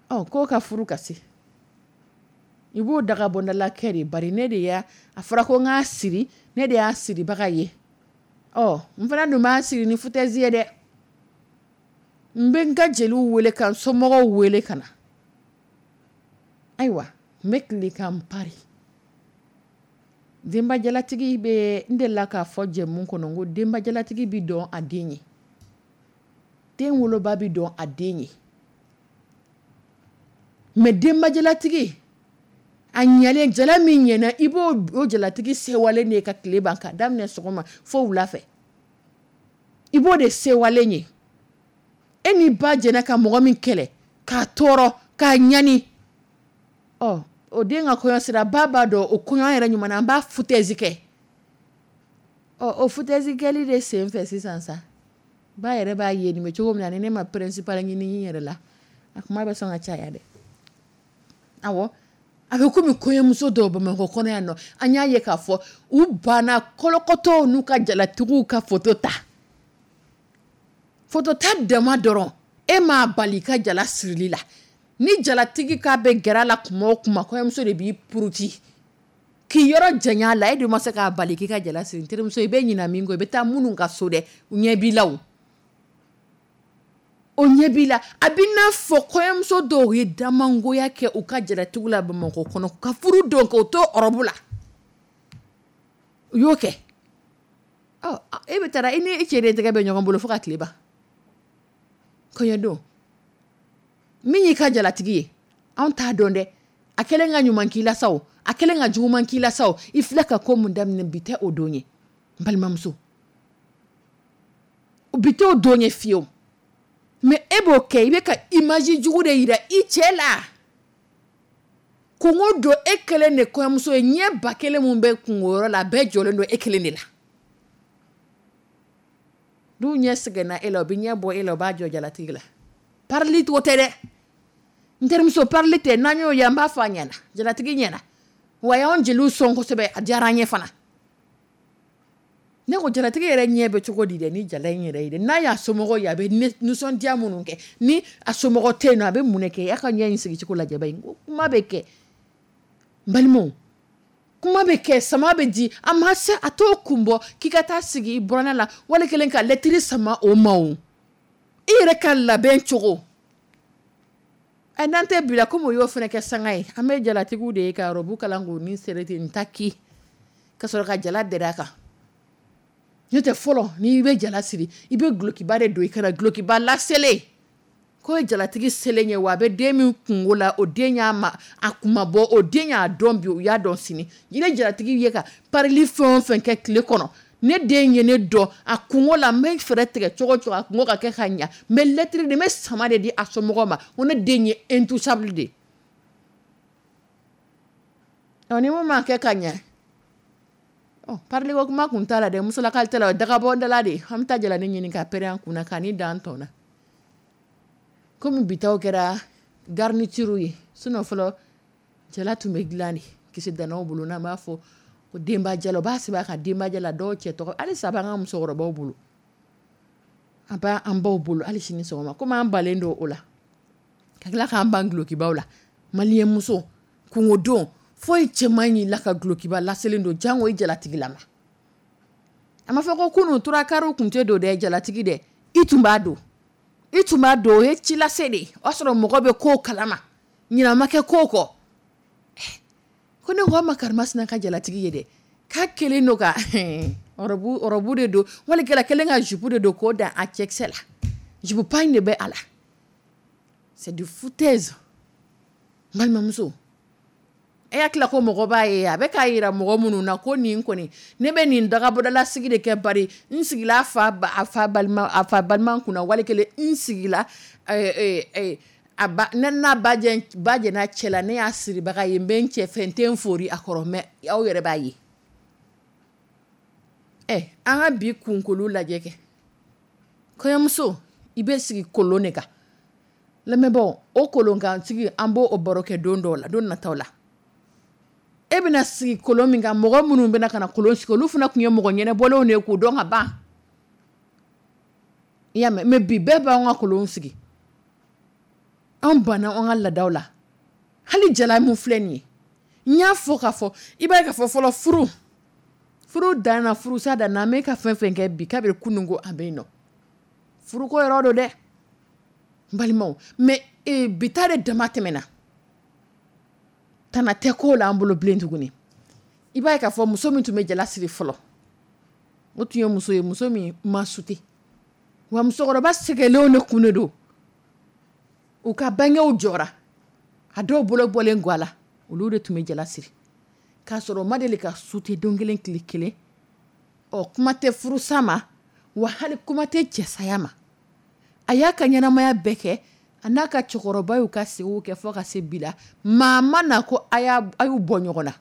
[SPEAKER 2] ɔ, k'o ka furu ka se, i b'o daga bɔndala kɛ de, bari ne de y'a a fɔra ko n k'a siri, ne de y'a siribaga ye. Ɔ, n fana dun b'a siri ni foutaise ye dɛ. N bɛ n ka jeliw wele ka n somɔgɔw wele ka na. Ayiwa, n bɛ tile ka n pari. Denbajalatigi bɛ, n delila k'a fɔ jɛmu kɔnɔ, ko denbajalatigi bɛ dɔn a den ye, den woloba bɛ dɔn a den ye, mais denbajalatigi a ɲɛlen, jala min ɲɛna, i b'o o jalatigi sewalen de ye ka tile ban, ka daminɛ sɔgɔma fo wula fɛ, i b'o de sewalen ye. E ni ba jɛnna ka mɔgɔ min kɛlɛ, k'a tɔɔrɔ, k'a ɲani, ɔ, o den ka kɔɲɔ sera, ba b'a dɔn o kɔɲɔ yɛrɛ ɲuman na, an b'a foutaise kɛ. Ɔ, o foutaise kɛli de sen fɛ sisan sa, ba yɛrɛ b'a ye nin bɛ cogo min na, ni ne ma principal ɲini n yɛrɛ la, a kuma bɛ sɔn ka caya dɛ. Awɔ, a bɛ komi kɔɲɔmuso dɔw Bamakɔ kɔnɔ yan nɔ, an y'a ye k'a fɔ u banna kɔlɔkɔtɔw n'u ka jalatigiw ka photo ta. Photo ta dama dɔrɔn, e m'a bali i ka jala sirili la. Ni jalatigi k'a bɛ gɛrɛ a la kuma o kuma, kɔɲɔmuso de b'i puruti k'i yɔrɔ janya a la, e dun ma se k'a bali k'i ka jala siri. N terimuso, i bɛ ɲina min kɔ, i bɛ taa minnu ka so dɛ, u ɲɛ b'i la o. O ɲɛ b'i la. A bɛ n'a fɔ kɔɲɔmuso dɔw ye damangoya kɛ u ka jalatigiw la Bamakɔ kɔnɔ, ka furu don k'o to ɔrɔbu la. U y'o kɛ. Ɔ, e bɛ taa, i ni e cɛ de tɛgɛ bɛ ɲɔgɔn bolo fo ka tile ban. Kɔɲɔdon, min y'i ka jalatigi ye, anw t'a dɔn dɛ. A kɛlen ka ɲuman k'i la sa o, a kɛlen ka juguman k'i la sa o, i filɛ ka ko mun daminɛ, bi tɛ o don ye. N balimamuso, bi tɛ o don ye fiyewu. Mais e b'o kɛ, i bɛ ka image jugu de yira i cɛ la. Kungo don, e kelen de kɔɲɔmuso ye, ɲɛ ba kelen mun bɛ kungoyɔrɔ la, a bɛɛ jɔlen don e kelen de la. N'u ɲɛ sɛgɛnna e la, u bɛ ɲɛ bɔ e la, u b'a jɔ jalatigi la. Parili t'o tɛ dɛ. N terimuso, parili tɛ, n'an y'o ye, an b'a fɔ a ɲɛna, jalatigi ɲɛna. Wa y'anw jeliw sɔn kosɛbɛ, a diyara an ye fana. Ne ko jalatigi yɛrɛ ɲɛ bɛ cogo di dɛ, ni jala in yɛrɛ ye dɛ, n'a y'a somɔgɔw ye, a bɛ nisɔndiya minnu kɛ, ni a somɔgɔ tɛ yen nɔ, a bɛ mun de kɛ? A ka ɲɛ in sigicogo lajɛ ba in, ko kuma bɛ kɛ. N balimaw, Kuma bɛ kɛ, sama bɛ di, a ma se a t'o kun bɔ k'i ka taa sigi i buranna la, wali kelen ka lɛtiri sama o ma. O i yɛrɛ ka labɛn cogo ɛ, n'an tɛ bila komi o y'o fana kɛ sanga ye. An bɛ jalatigiw de ye ka robe kalan k'u ni sere ten taki ka sɔrɔ ka jala dɛrɛ a kan. N'o tɛ, fɔlɔ, n'i bɛ jala siri, i bɛ dulokiba de don i kan na, dulokiba laselen k'o ye jalatigi selen ye. Wa a bɛ den min kungo la, o den y'a ma a kunma bɔ, o den y'a dɔn bi, o y'a dɔn sini. I bɛ jalatigi ye ka parili fɛn o fɛn kɛ tile kɔnɔ, ne den ye ne dɔn a kungo la, n bɛ fɛɛrɛ tigɛ cogo o cogo a kungo ka kɛ ka ɲa. N bɛ lɛtiri de, n bɛ sama de di a somɔgɔw ma ko ne den ye intouchable de ye. Ɔ, ni mun ma kɛ ka ɲɛ, ɔ, parili ko kuma kun t'a la dɛ, musolakali t'a la, o ye dagabɔndala de ye. An bɛ taa jalani ɲini ka pɛrɛn an kunna k'a ni dan tɔn na. Komi bitaw kɛra garniture ye, sinon fɔlɔ jala tun bɛ dilan de kisi danaw bolo, n'an b'a fɔ ko denba jala, u b'a sɛbɛn a kan denba jala. Dɔw cɛ tɔgɔ halisa b'an ka musokɔrɔbaw bolo, a b'an baw bolo hali sini sɔgɔma. Komi an balen don o la, ka tila k'an ban dulokibaw la. Maliyɛn muso kungodon foyi cɛ man ɲi la ka dulokiba laselen don, jango i jalatigilama. A ma fɔ ko kunun turakariw tun tɛ don dɛ, jalatigi dɛ, i tun b'a don, i tun b'a don. O ye cilase de ye, o y'a sɔrɔ mɔgɔ bɛ ko kalama, ɲinɛ ma kɛ ko kɔ. Ko ne ko an ma karimasina ka jalatigi ye dɛ, k'a kelen don ka robe de don, wali kɛla kelen ka jupe de don k'o dan a cɛkisɛ la, jupe pagne de bɛ a la. C'est du foutaise. N balimamuso, e hakili ko mɔgɔ b'a ye, a bɛ k'a yira mɔgɔ minnu na ko nin kɔni, ne bɛ nin dagabɔdalasigi de kɛ, bari n sigila a fa a fa balima, a fa balima kunna, wali kelen n sigila a ba, ne n'a ba jɛ, ba jɛn'a cɛ la, ne y'a siribaga ye, n bɛ n cɛ fɛ, n tɛ n fori a kɔrɔ. Mɛ aw yɛrɛ b'a ye. Ɛ, an ka bi kunkolo lajɛ kɛ. Kɔɲɔmuso, i bɛ sigi kolon de kan. Lamɛnbaaw, o kolon kan sigi, an b'o baro kɛ don dɔw la, don nataw la. E bɛna sigi kolon min kan, mɔgɔ minnu bɛna ka na kolon sigi, olu fana tun ye mɔgɔ ɲɛnɛbɔlenw de ye k'u dɔn ka ban. I y'a mɛn? Mɛ bi, bɛɛ b'an ka kolon sigi, an banna an ka laadaw la. Hali jala min filɛ nin ye, n y'a fɔ k'a fɔ, i b'a ye k'a fɔ fɔlɔ, furu dan na, furusa dan na. An bɛ ka fɛn fɛn kɛ bi, kabiri kunun ko a bɛ yen nɔ, furuko yɔrɔ don dɛ, n balimaw. Mɛ bi ta de dama tɛmɛna, tana tɛ ko la an bolo bilen tuguni. I b'a ye k'a fɔ muso min tun bɛ jala siri fɔlɔ, o tun ye muso ye, muso min ma sute wa musokɔrɔba sɛgɛnlenw de kun de don. U ka bangew jɔra, a dɔw bolo bɔlen ga la, olu de tun bɛ jala siri k'a sɔrɔ o ma deli ka sute don kelen tile kelen. Ɔ, kuma tɛ furusa ma wa, hali kuma tɛ cɛsaya ma. A y'a ka ɲɛnamaya bɛɛ kɛ, a n'a ka cɛkɔrɔba y'u ka segiw kɛ fo ka se bi la. Maa ma na ko a y'u bɔ ɲɔgɔn na.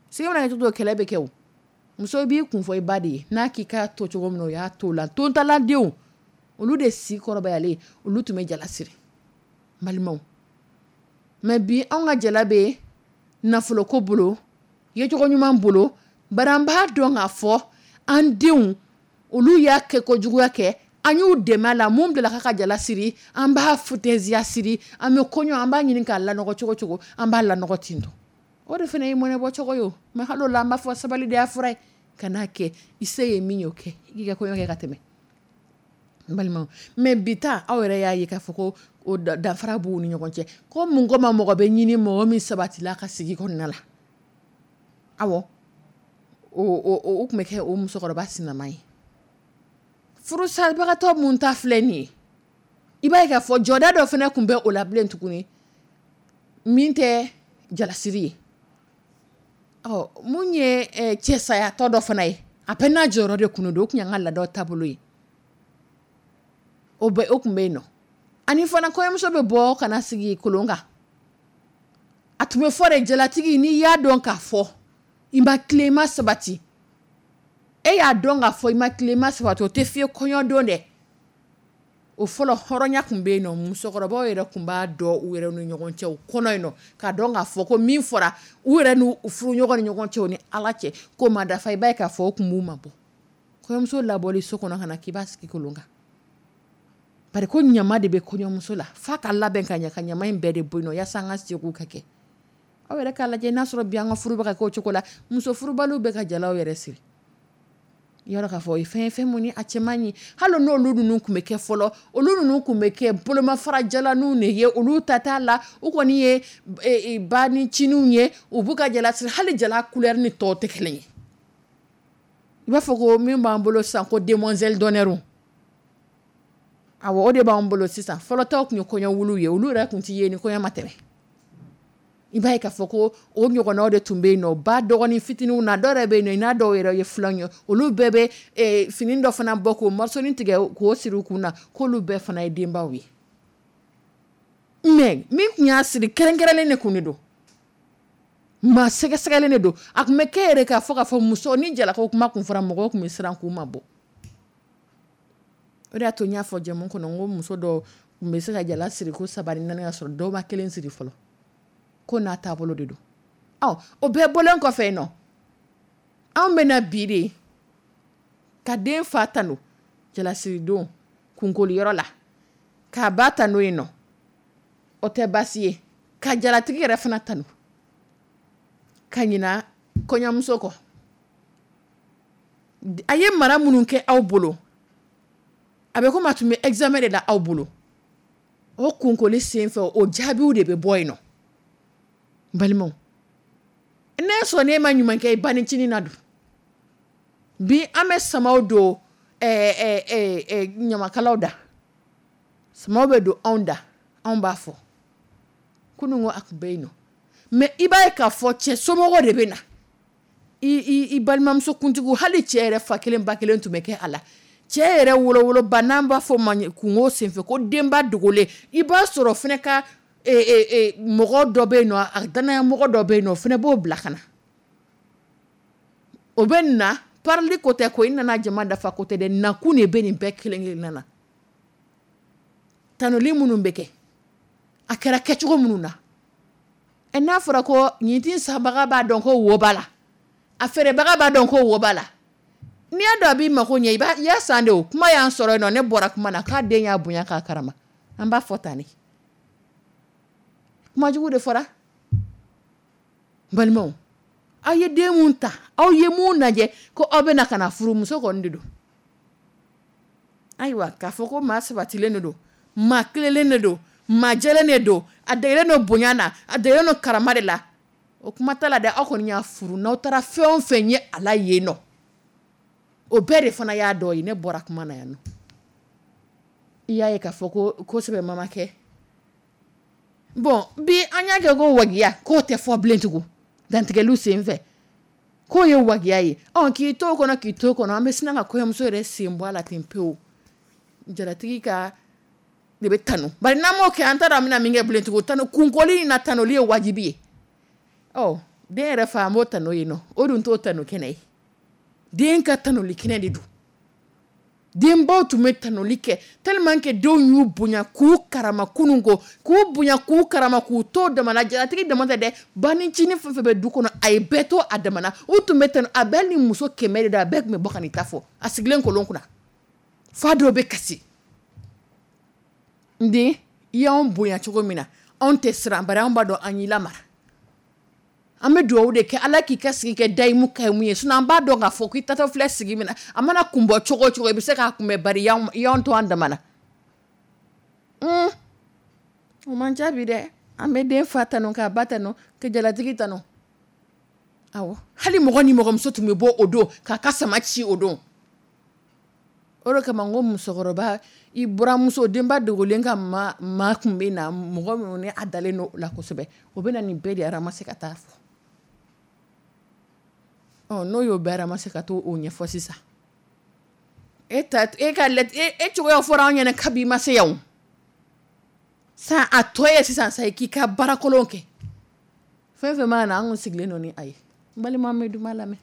[SPEAKER 2] Sigi mana kɛ cogo kɛlɛ bɛ kɛ. O muso b'i kun fɔ i ba de ye, n'a k'i k'a to cogo min na, o y'a to la. Tontaladenw, olu de si kɔrɔbayalen, olu tun bɛ jala siri, balimaw. Mɛ bi, anw ka jala bɛ nafoloko bolo, yecogo ɲuman bolo, bari an b'a dɔn k'a fɔ an denw, olu y'a kɛ kojuguya kɛ, an y'u dɛmɛ a la. Mun bila ka jala siri, an b'a futɛziya siri. An bɛ kɔɲɔ, an b'a ɲini k'a lanɔgɔ cogo cogo, an b'a lanɔgɔ ten tɔ. O de fana ye mɔnɛbɔ cogo ye. O mɛ hali o la, an b'a fɔ sabali de y'a fura ye. Ka n'a kɛ i se ye min ye, o kɛ i k'i ka kɔɲɔ kɛ ka tɛmɛ, n balimaw. Mɛ bi ta, aw yɛrɛ y'a ye k'a fɔ ko o danfara b'u ni ɲɔgɔn cɛ. Ko mun ko ma mɔgɔ bɛ ɲini mɔgɔ min sabatila ka sigi kɔnɔna la. Awɔ, o tun bɛ kɛ o musokɔrɔba sinama ye. Furusabagatɔ mun ta filɛ nin ye, i b'a ye k'a fɔ jɔda dɔ fana tun bɛ o la bilen tuguni min tɛ jalasiri ye. Ɔ, mun ye cɛsayatɔ dɔ fana ye, a bɛɛ n'a jɔyɔrɔ de kun don. O tun y'an ka laadaw taabolo ye, o bɛ o tun bɛ yen nɔ. Ani fana, kɔɲɔmuso bɛ bɔ ka na sigi kolon kan. A tun bɛ fɔ de, jalatigi, n'i y'a dɔn k'a fɔ i ma tilen, i ma sabati, e y'a dɔn k'a fɔ i ma tilen, i ma sabati, o tɛ f'i ye kɔɲɔ don dɛ. O fɔlɔ hɔrɔnya tun bɛ yen nɔ. Musokɔrɔbaw yɛrɛ tun b'a dɔn u yɛrɛ ni ɲɔgɔn cɛ, u kɔnɔ yen nɔ, k'a dɔn k'a fɔ ko min fɔra u yɛrɛ n'u furuɲɔgɔn ni ɲɔgɔn cɛ, u ni Ala cɛ, k'o ma dafa. I b'a ye k'a fɔ o tun b'u ma bɔ kɔɲɔmuso labɔli so kɔnɔ ka na k'i b'a sigi kolon kan, bari ko ɲama de bɛ kɔɲɔmuso la, f'a ka labɛn ka ɲɛ ka ɲama in bɛɛ de bɔ yen nɔ yaasa an ka segiw ka kɛ. Aw yɛrɛ k'a lajɛ n'a sɔrɔ bi an ka furu bɛ ka kɛ o cogo la. Muso furubaliw bɛ ka jalaw yɛrɛ siri yɔrɔ k'a fɔ o ye fɛn ye, fɛn mun ni a cɛ man ɲi. Hali n'olu ninnu tun bɛ kɛ fɔlɔ, olu ninnu tun bɛ kɛ bolomafara jalaninw de ye. Olu ta t'a la, u kɔni ye ba ni ciniw ye, u b'u ka jala siri. Hali jala couleur ni tɔw tɛ kelen ye. I b'a fɔ ko min b'an bolo sisan ko demoiselle d'honneur, awɔ, o de b'an bolo sisan. Fɔlɔ taw tun ye kɔɲɔ wuluw ye, olu yɛrɛ tun tɛ ye ni kɔɲɔ ma tɛmɛ. I b'a ye k'a fɔ ko o ɲɔgɔnnaw de tun bɛ yen nɔ, ba dɔgɔnin fitininw na, dɔw yɛrɛ bɛ yen nɔ, i n'a dɔw yɛrɛ ye filanw ye, olu bɛɛ bɛ fini dɔ fana bɔ k'o marsoni tigɛ k'o siri u kun na, k'olu bɛɛ fana ye denbaw ye. Mais min tun y'a siri, kɛrɛnkɛrɛnlen de tun de don, maa sɛgɛsɛgɛlen de don. A tun bɛ kɛ yɛrɛ k'a fɔ k'a fɔ muso ni jalako kuma tun fɔra, mɔgɔw tun bɛ siran k'u ma bɔ. O de y'a to n y'a fɔ jɛmu kɔnɔ n ko muso dɔw tun bɛ se ka jala siri ko 3 ni 4 ka sɔrɔ dɔw ma kelen siri fɔlɔ, ko n'a taabolo de don. Ɔ, o bɛɛ bɔlen kɔfɛ yen nɔ, anw bɛ na bi de ka den fa tanu jalasiridon kunkoliyɔrɔ la, k'a ba tanu yen nɔ, o tɛ baasi ye, ka jalatigi yɛrɛ fana tanu ka ɲina kɔɲɔmuso kɔ. A ye mara minnu kɛ aw bolo, a bɛ komi a tun bɛ examen de la aw bolo. O kunkoli senfɛ, o jaabiw de bɛ bɔ yen nɔ. Balimaw, ne sɔn ne ma ɲuman kɛ i ba nicinin na dun. Bi an bɛ samaw don ɲamakalaw da, samaw bɛ don anw da, anw b'a fɔ kunun ko a tun bɛ yen nɔ. Mais i b'a ye k'a fɔ cɛ somɔgɔw de bɛ na, i balimamuso kuntigiw, hali cɛ yɛrɛ fa kelen ba kelen tun bɛ kɛ a la. Cɛ yɛrɛ wolowoloba, n'an b'a fɔ o ma kungo senfɛ ko denba dogolen, i b'a sɔrɔ fana ka mɔgɔ dɔ bɛ yen nɔ, a danaya mɔgɔ dɔ bɛ yen nɔ, o fana b'o bila ka na. O bɛ na parili ko tɛ ko i nana jama dafa ko tɛ dɛ, nakun de bɛ nin bɛɛ kelen kelenna na. Tanuli minnu bɛ kɛ, a kɛra kɛcogo minnu na, n'a fɔra ko nin ti sanbaga b'a dɔn ko wo b'a la, a feerebaga b'a dɔn ko wo b'a la, n'i y'a dɔn a b'i mako ɲɛ, i y'a san de. O kuma y'an sɔrɔ yen nɔ, ne bɔra kuma na k'a den y'a bonya k'a karama, an b'a fɔ tan de. Kuma jugu de fɔra. Balimaw, aw ye den mun ta, aw ye mun lajɛ ko aw bɛna ka na furu, muso kɔni de don. Ayiwa, k'a fɔ ko maa sabatilen de don, maa tilelen de don, maa jɛlen de don, a degelen don bonya na, a degelen don karama de la, o kuma t'a la dɛ. Aw kɔni y'a furu, n'aw taara fɛn o fɛn ye a la yen nɔ, o bɛɛ de fana y'a dɔ ye. Ne bɔra kuma na yan nɔ, i y'a ye k'a fɔ ko kosɛbɛ mama kɛ. Bon, bi an y'a kɛ ko wagiya, k'o tɛ fɔ bilen tugun dantigɛliw senfɛ, k'o ye wagiya ye. Ɔ, k'i to o kɔnɔ, k'i to o kɔnɔ, an bɛ sina ka kɔɲɔmuso yɛrɛ sen bɔ a la ten pewu. Jalatigi ka de bɛ tanu, bari n'an m'o kɛ, an t'a dɔn an bɛna min kɛ bilen tugun. Tanu kunkoli in na, tanuli ye wajibi ye. Ɔ, den yɛrɛ fa, an b'o tanu yen nɔ, o dun t'o tanu kɛnɛ ye. Den ka tanuli kɛnɛ de don. Denbaw tun bɛ tanuli kɛ tellement que denw y'u bonya k'u karama kunun ko, k'u bonya k'u karama k'u to damana. Jalatigi dama tɛ dɛ, banicinin fɛn fɛn bɛ du kɔnɔ, a ye bɛɛ to a damana. U tun bɛ tanu, a bɛɛ ni muso 100 de don, a bɛɛ tun bɛ bɔ ka n'i ta fɔ a sigilen kolon kunna. Fa dɔw bɛ kasi. N den, i y'anw bonya cogo min na, anw tɛ siran, bari anw b'a dɔn an y'i lamara. An bɛ dugawu de kɛ Ala k'i ka sigi kɛ dayimu kayimu ye, sinon an b'a dɔn k'a fɔ k'i tatɔ filɛ sigi min na, a mana kun bɔ cogo o cogo, i bɛ se k'a kunbɛn, bari i y'anw to an damana. O man ca bi dɛ. An bɛ den fa tanu, k'a ba tanu, ka jalatigi tanu. Awɔ, hali mɔgɔ ni mɔgɔmuso tun bɛ bɔ o don k'a ka sama ci o don. O de kama n ko musokɔrɔba, i buramuso, denba dogolen ka maa tun bɛ na, mɔgɔ minnu ni a dalen don o la kosɛbɛ, o bɛ na nin bɛɛ de ramasser ka taa fɔ. Ɔ, n'o y'o bɛɛ ramasser ka taa o ɲɛfɔ sisan, e ta, e ka lɛ, e cogoya fɔra anw ɲɛna kabi ma se yan. San a tɔ ye sisan sa, k'i ka baarakolon kɛ. Fɛn fɛn mana na, an kun sigilen don ni a ye. N balima, an bɛ duman lamɛn.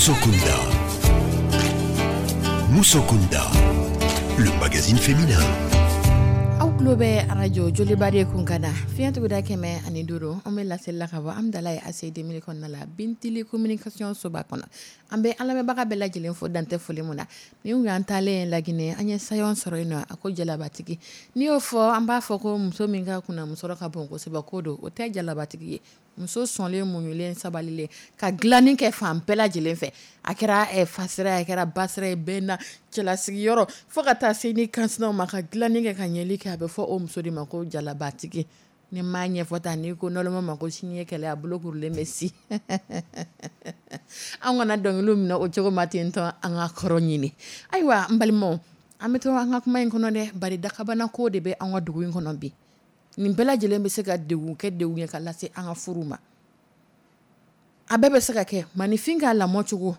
[SPEAKER 1] Musokunda. Musokunda, le magazine féminin.
[SPEAKER 2] Aw tulo bɛ arajo Joliba de kun ka na fiɲɛtuguda 105, an bɛ laseli la ka bɔ Amidalayi ACI 2000 kɔnɔna la, Bintili communication soba kɔnɔ. An bɛ an lamɛnbaga bɛɛ lajɛlen fo dantɛ foli mun na. Nin kun y'an taalen Laginɛ, an ye sayon sɔrɔ yen nɔ, a ko jalabatigi. N'i y'o fɔ, an b'a fɔ ko muso min ka kunna musɔrɔ ka bon kosɛbɛ, ko don o tɛ jalabatigi ye. Muso sɔnlen, muɲulen, sabalilen, ka dilanni kɛ fan bɛɛ lajɛlen fɛ. A kɛra fasira ye, a kɛra basira ye, bɛɛ na cɛlasigiyɔrɔ fo ka taa se ni kansinaw ma, ka dilanni kɛ ka ɲɛli kɛ, a bɛ fɔ o muso de ma ko jalabatigi. Ni m'a ɲɛfɔ tan, n'i ko nɔlɔma ma ko sini ye kɛlɛ, a bolo kurulen bɛ si. An kana dɔnkiliw minɛ o cogo ma ten tɔn, an ka kɔrɔ ɲini. Ayiwa n balimaw, an bɛ to an ka kuma in kɔnɔ dɛ, bari dakabana ko de bɛ an ka dugu in kɔnɔ bi. Nin bɛɛ lajɛlen bɛ se ka degun kɛ degun ye ka lase an ka furu ma. A bɛɛ bɛ se ka kɛ maninfin ka lamɔ cogo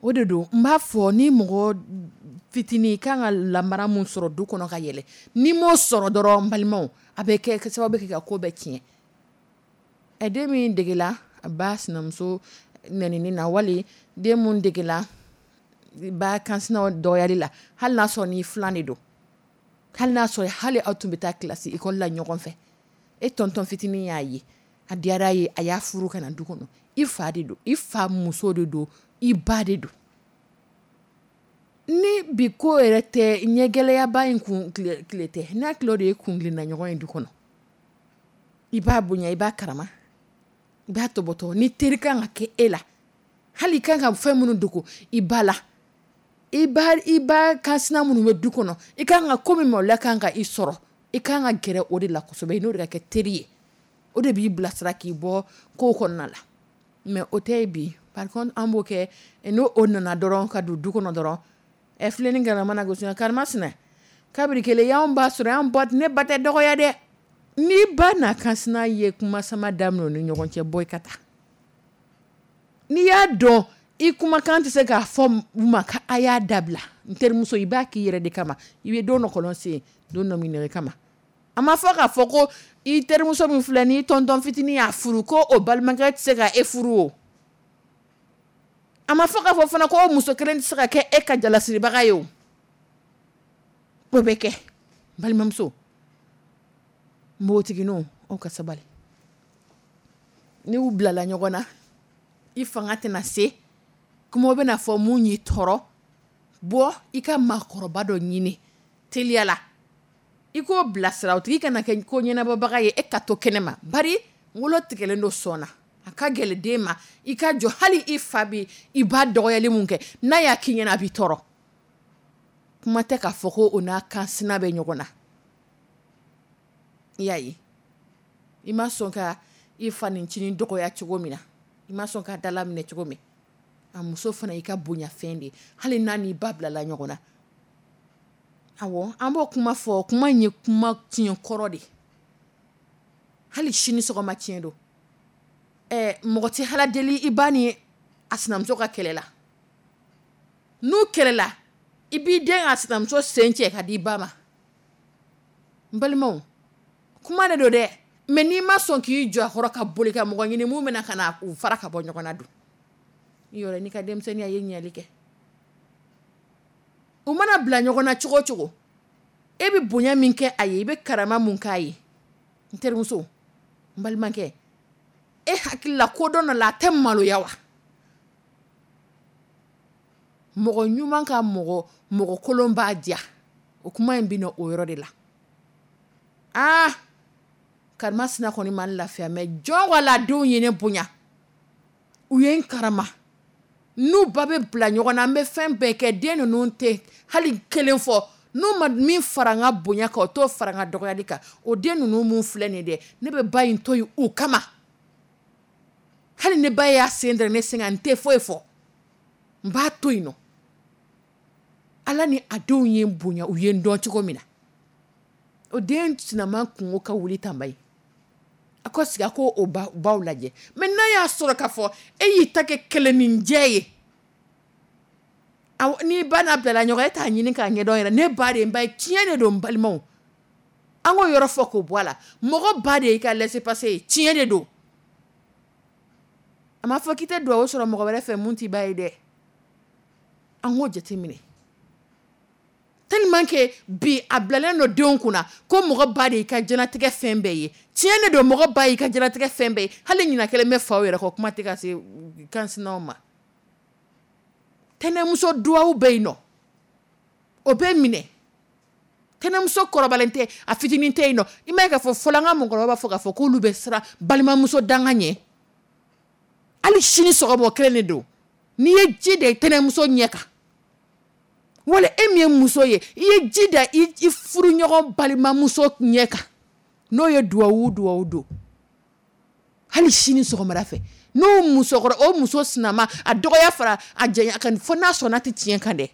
[SPEAKER 2] o de don. N b'a fɔ ni mɔgɔ fitinin kan ka lamara mun sɔrɔ du kɔnɔ ka yɛlɛ, n'i m'o sɔrɔ dɔrɔn n balimaw, a bɛ kɛ sababu kɛ ka ko bɛɛ tiɲɛ. Ɛ, den min degela a ba sinamuso nɛnini na, wali den mun degela ba kansinaw dɔgɔyali la, hali n'a sɔrɔ ni filan de don, hali n'a sɔrɔ hali aw tun bɛ taa kilasi ekɔli la ɲɔgɔn fɛ, e tɔntɔn fitinin y'a ye, a diyara ye, a y'a furu ka na du kɔnɔ. I fa de don, i fa muso de don, i ba de don. Ni bi ko yɛrɛ tɛ ɲɛgɛlɛyaba in kun tile tɛ, n'a tile de ye kun tilenna ɲɔgɔn ye du kɔnɔ, i b'a bonya, i b'a karama, i b'a tɔbɔtɔ. Ni teri kan ka kɛ e la, hali i kan ka fɛn minnu dogo i ba la, i ba kansina minnu bɛ du kɔnɔ, i kan ka ko min maloya kan ka i sɔrɔ, i kan ka gɛrɛ o de la kosɛbɛ, i n'o de ka kɛ teri ye. O de b'i bilasira k'i bɔ ko kɔnɔna la. Mais o tɛ bi. Par contre an b'o kɛ, n'o o nana dɔrɔn ka don du kɔnɔ dɔrɔn, ɛ filenin galama mana gosi, karimasina kabiri kelen y'anw ba sɔrɔ, y'an ba, ne ba tɛ dɔgɔya dɛ. N'i ba n'a kansina ye kuma sama daminɛ u ni ɲɔgɔn cɛ, bɔ i ka taa. N'i y'a dɔn i kumakan tɛ se k'a fɔ u ma ka a y'a dabila, n terimuso, i b'a k'i yɛrɛ de kama. I bɛ don dɔ kɔlɔn sen, don dɔ min i kama. A ma fɔ k'a fɔ ko i terimuso min filɛ n'i tɔntɔn fitinin y'a furu, ko o balimakɛ tɛ se ka e furu o. A ma fɔ k'a fɔ fana ko o muso kelen tɛ se ka kɛ e ka jalasiribaga ye o. O bɛ kɛ. Balimamuso, npogotigininw, aw ka sabali. N'u bilala ɲɔgɔn na, i fanga tɛna se, kuma bɛna fɔ mun y'i tɔɔrɔ, bɔ i ka maakɔrɔba dɔ ɲini teliya la, i k'o bilasira, o tigi kana kɛ ko ɲɛnabɔbaga ye, e ka to kɛnɛ ma. Bari wolo tigɛlen don sɔn na, a ka gɛlɛn den ma i ka jɔ. Hali i fa bɛ i ba dɔgɔyali mun kɛ, n'a y'a k'i ɲɛna, a b'i tɔɔrɔ. Kuma tɛ k'a fɔ ko o n'a kansina bɛ ɲɔgɔn na. I y'a ye, i ma sɔn ka i fa nicinin dɔgɔya cogo min na, i ma sɔn ka dala minɛ cogo min, a muso fana i ka bonyafɛn de ye, hali n'a n'i ba bilala ɲɔgɔn na. Awɔ, an b'o kuma fɔ, kuma in ye kuma tiɲɛ kɔrɔ de ye. Hali sini sɔgɔma tiɲɛ don. Ɛ, mɔgɔ tɛ hala deli i ba ni a sinamuso ka kɛlɛ la. N'u kɛlɛla, i b'i den a sinamuso sen cɛ ka di i ba ma. N balimaw, kuma de don dɛ, mais n'i ma sɔn k'i jɔ a kɔrɔ ka boli ka mɔgɔ ɲini mun bɛna ka na u fara ka bɔ ɲɔgɔn na dun, i yɔrɔ n'i ka denmisɛnninya ye ɲɛli kɛ. U mana bila ɲɔgɔn na cogo o cogo, e bɛ bonya min kɛ a ye, i bɛ karama mun k'a ye, n terimuso, n balimakɛ, e hakili la ko dɔn dɔ la, a tɛ maloya wa? Mɔgɔ ɲuman ka mɔgɔ mɔgɔ kolon b'a diya. O kuma in bɛ na o yɔrɔ de la. Aa, karimasina kɔni ma lafiya, mais jɔn wala denw ye ne bonya, u ye n karama. N'u ba bɛ bila ɲɔgɔn na, an bɛ fɛn bɛɛ kɛ, den ninnu tɛ hali kelen fɔ. N'u ma min fara n ka bonya kan, o t'o fara n ka dɔgɔyali kan. O den ninnu mun filɛ nin dɛ, ne bɛ ba in to yen u kama. Hali ne ba y'a sen da ne sen kan, n tɛ foyi fɔ, n b'a to yen nɔ. Ala ni a denw ye n bonya, u ye n dɔn cogo min na, o den sinama kungo ka wuli tanba ye, a ko sigi a ko o baw lajɛ. Mais n'a y'a sɔrɔ k'a fɔ e y'i ta kɛ kɛlɛninjɛ ye, n'i ba n'a bilala ɲɔgɔn, e t'a ɲini k'a ɲɛdɔn yɛrɛ. Ne ba de ye n ba ye, tiɲɛ de don. N balimaw, an k'o yɔrɔ fɔ k'o bɔ a la. Mɔgɔ ba de y'i ka laissez-passer ye, tiɲɛ de don. A m'a fɔ k'i tɛ dugawu sɔrɔ mɔgɔ wɛrɛ fɛ mun t'i ba ye dɛ. An k'o jateminɛ tellement que bi a bilalen don denw kunna ko mɔgɔ ba de y'i ka diɲɛlatigɛ fɛn bɛɛ ye. Tiɲɛ de don, mɔgɔ ba y'i ka diɲɛlatigɛ fɛn bɛɛ ye. Hali ɲina kelen bɛ faw yɛrɛ kɔ, kuma tɛ ka se kansinaw ma. Tɛnɛmuso duwawu bɛ yen nɔ, o bɛ minɛ. Tɛnɛmuso kɔrɔbalen tɛ, a fitinin tɛ yen nɔ. I m'a ye k'a fɔ fɔlɔ an ka mɔgɔkɔrɔbaw b'a fɔ k'a fɔ k'olu bɛ siran balimamuso danga ɲɛ. Hali sini sɔgɔma o kelen de don. N'i ye ji da i tɛnɛmuso ɲɛ kan, wala e min ye muso ye, i ye ji da i furuɲɔgɔn balimamuso ɲɛ kan, n'o ye duwawu duwawu don, hali sini sɔgɔmada fɛ, n'o musokɔrɔ o muso sinama a dɔgɔya fara a janya kan, fo n'a sɔnna tɛ tiɲɛ kan dɛ,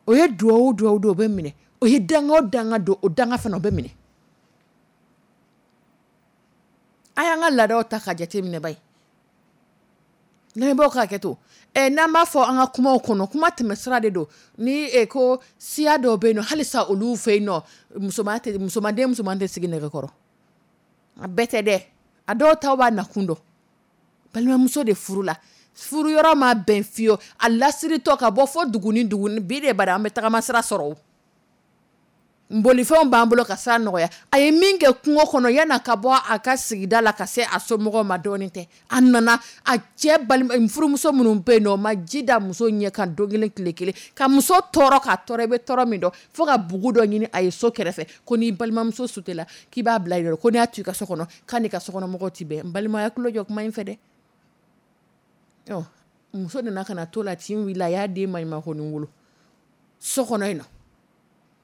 [SPEAKER 2] o ye duwawu duwawu don, o bɛ minɛ. O ye danga o danga don, o danga fana o bɛ minɛ. A y'an ka laadaw ta ka jate minɛ ba ye. Lamɛnbaaw ka hakɛ to. N'an b'a fɔ an ka kumaw kɔnɔ, kuma tɛmɛsira de don. Ni ko siya dɔw bɛ yen nɔ, halisa olu fɛ yen nɔ, musoman tɛ, musoman den musoman tɛ sigi nɛgɛkɔrɔ. A bɛɛ tɛ dɛ, a dɔw taw b'a nakun dɔn. Balimamuso de furu la, furu yɔrɔ ma bɛn fiyewu, a lasiritɔ ka bɔ fɔ dugu ni dugu bi de bari an bɛ tagama sira sɔrɔ o. Bolifɛnw b'an bolo ka sira nɔgɔya. A ye min kɛ kungo kɔnɔ yan'a ka bɔ a ka sigida la ka se a somɔgɔw ma, dɔɔnin tɛ. A nana a cɛ balima furumuso minnu bɛ yen nɔ, o ma ji da muso ɲɛ kan don kelen tile kelen, ka muso tɔɔrɔ k'a tɔɔrɔ, i bɛ tɔɔrɔ min dɔn, fo ka bugu dɔ ɲini a ye so kɛrɛfɛ, ko n'i balimamuso sutela k'i b'a bila yen, ko n'i y'a to i ka so kɔnɔ k'a n'i ka sokɔnɔmɔgɔw ti bɛn. N balimaya tulo jɔ kuma in fɛ dɛ. Ɔ muso nana ka na to la, tin wulila, a y'a den maɲumakonin wolo so kɔnɔ yen nɔ,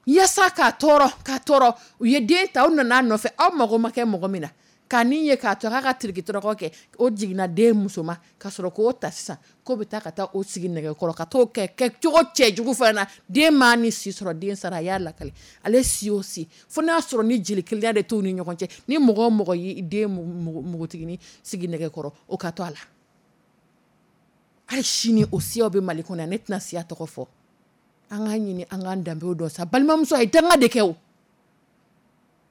[SPEAKER 2] yaasa k'a tɔɔrɔ k'a tɔɔrɔ. U ye den ta, u nana a nɔfɛ, aw mago ma kɛ mɔgɔ min na k'a ni ye k'a to k'a ka tiriki tɔrɔkɔ kɛ, o jiginna den muso ma ka sɔrɔ k'o ta sisan k'o bɛ taa ka taa o sigi nɛgɛkɔrɔ ka t'o kɛ kɛcogo cɛjugu fana na. Den m'a ni si sɔrɔ, den sara. A y'a lakale ale si o si, fo n'a sɔrɔ ni jeli kelenya de t'u ni ɲɔgɔn cɛ. Ni mɔgɔ o mɔgɔ y'i den npogotiginin sigi nɛgɛkɔrɔ, o ka to a la. Hali sini o siyaw bɛ Mali kɔnɔ yan, ne tɛna siya tɔgɔ fɔ. An k'a ɲini an k'an danbew dɔn sa. Balimamuso, a ye danga de kɛ o,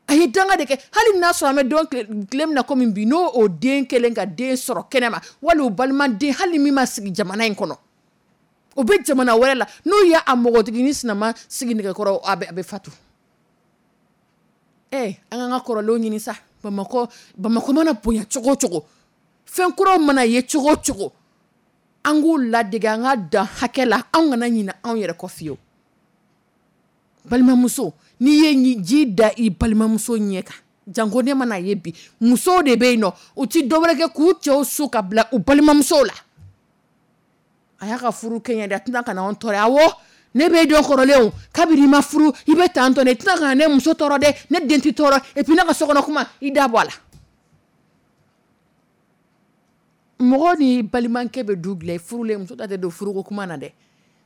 [SPEAKER 2] a ye danga de kɛ. Hali n'a sɔrɔ an bɛ don tile min na komi bi, n'o o den kelen ka den sɔrɔ kɛnɛma, wali o balimaden, hali min ma sigi jamana in kɔnɔ, o bɛ jamana wɛrɛ la, n'o ye a mɔgɔtiginin sinama sigi nɛgɛkɔrɔ, a bɛ fatu. An k'an ka kɔrɔlenw ɲini sa. Bamakɔ Bamakɔ mana bonya cogo o cogo, fɛn kuraw mana ye cogo o cogo, an k'u ladege, an ka dan hakɛ la, anw kana ɲinɛ anw yɛrɛ kɔ fiyewu. Balimamuso, n'i ye ji da i balimamuso ɲɛ kan, janko ne mana ye bi, musow de bɛ yen nɔ, u ti dɔwɛrɛ kɛ k'u cɛw su ka bila u balimamusow la. A y'a ka furu kɛɲɛ dɛ, a tɛna ka na anw tɔɔrɔ. Awɔ, ne b'e dɔn kɔrɔlen o, kabini i ma furu i bɛ tan tɔ, ne tɛna ka na ne muso tɔɔrɔ dɛ, ne den tɛ tɔɔrɔ, et puis ne ka sokɔnɔ kuma i da bɔ a la. Mɔgɔ ni balimakɛ bɛ du dilan, furulen muso da tɛ don furuko kuma na dɛ,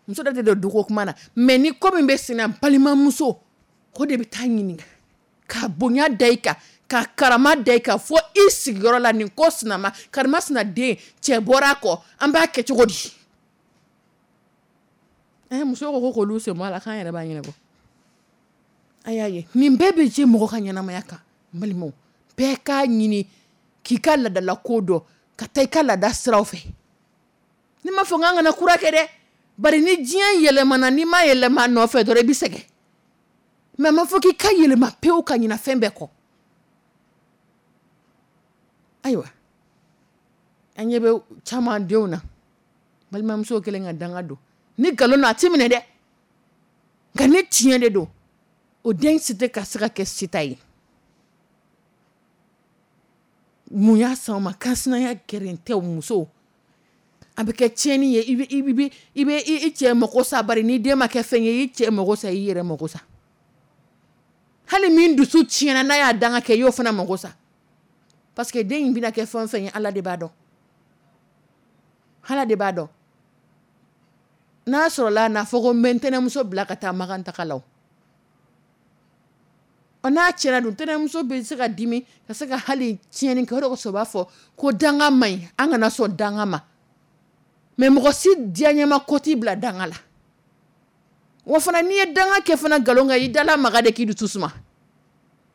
[SPEAKER 2] muso da tɛ don duko kuma na, mais ni ko min bɛ sen na, balimamuso ko de bɛ taa ɲininka, ka bonya da i kan, ka karama da i kan, fo i sigiyɔrɔ la. Nin ko sinama karima sina den cɛ bɔra a kɔ, an b'a kɛ cogo di? Muso ko k'olu sen bɔ a la, k'an yɛrɛ b'a ɲɛnabɔ. A y'a ye nin bɛɛ bɛ je mɔgɔ ka ɲɛnamaya kan. N balimaw, bɛɛ k'a ɲini k'i ka laadala ko dɔn, ka taa i ka laada siraw fɛ. Ne m'a fɔ k'an kana kura kɛ dɛ, bari ni diɲɛ yɛlɛmana, n'i ma yɛlɛma a nɔfɛ dɔrɔn i bɛ sɛgɛn. Mais a ma fɔ k'i ka yɛlɛma pewu ka ɲina fɛn bɛɛ kɔ. Ayiwa, an ɲɛ bɛ caman denw na, balimamuso kɛlen ka danga don. Ni nkalon don a ti minɛ dɛ, nka ni tiɲɛ de don, o den si tɛ ka se ka kɛ sita ye. Mun y'a s'anw ma? Kansinaya gɛrɛntɛw musow, a bɛ kɛ tiɲɛni ye. I bɛ i cɛ mago sa, bari ni den ma kɛ fɛn ye, i cɛ mago sa, i yɛrɛ mago sa. Hali min dusu tiɲɛna n'a y'a danga kɛ, i y'o fana mago sa, parce que den in bɛna kɛ fɛn o fɛn ye, Ala de b'a dɔn, Ala de b'a dɔn. N'a sɔrɔla n'a fɔ ko n bɛ n tɛnɛmuso bila ka taa Makan taga la, o n'a tiɲɛna dun, tɛnɛmuso bɛ se ka dimi ka se ka hali tiɲɛni kɛ. O de kosɔn u b'a fɔ ko danga man ɲi, an kana sɔn danga ma. Mais mɔgɔ si diyaɲɛma ko t'i bila danga la. Wa fana n'i ye danga kɛ fana nkalon kan, i dala maga de k'i dusu suma,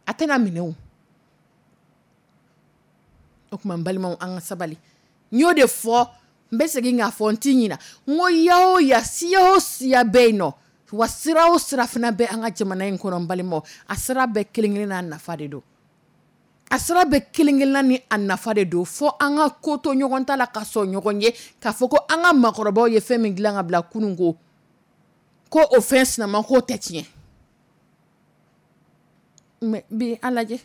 [SPEAKER 2] a tɛna minɛ o. O tuma n balimaw, an ka sabali. N y'o de fɔ, n bɛ segin k'a fɔ, n t'i ɲina. N ko ya o ya, siya o siya bɛ yen nɔ, wa sira o sira fana bɛ an ka jamana in kɔnɔ, n balimaw, a sira bɛɛ kelen kelen n'a nafa de don. A sira bɛɛ kelen kelenna ni a nafa de don. Fo an ka ko to ɲɔgɔn ta la, ka sɔn ɲɔgɔn ye k'a fɔ ko an ka maakɔrɔbaw ye fɛn min dilan ka bila kunun, ko o fɛn sinama k'o tɛ tiɲɛ. Mais bi, an lajɛ,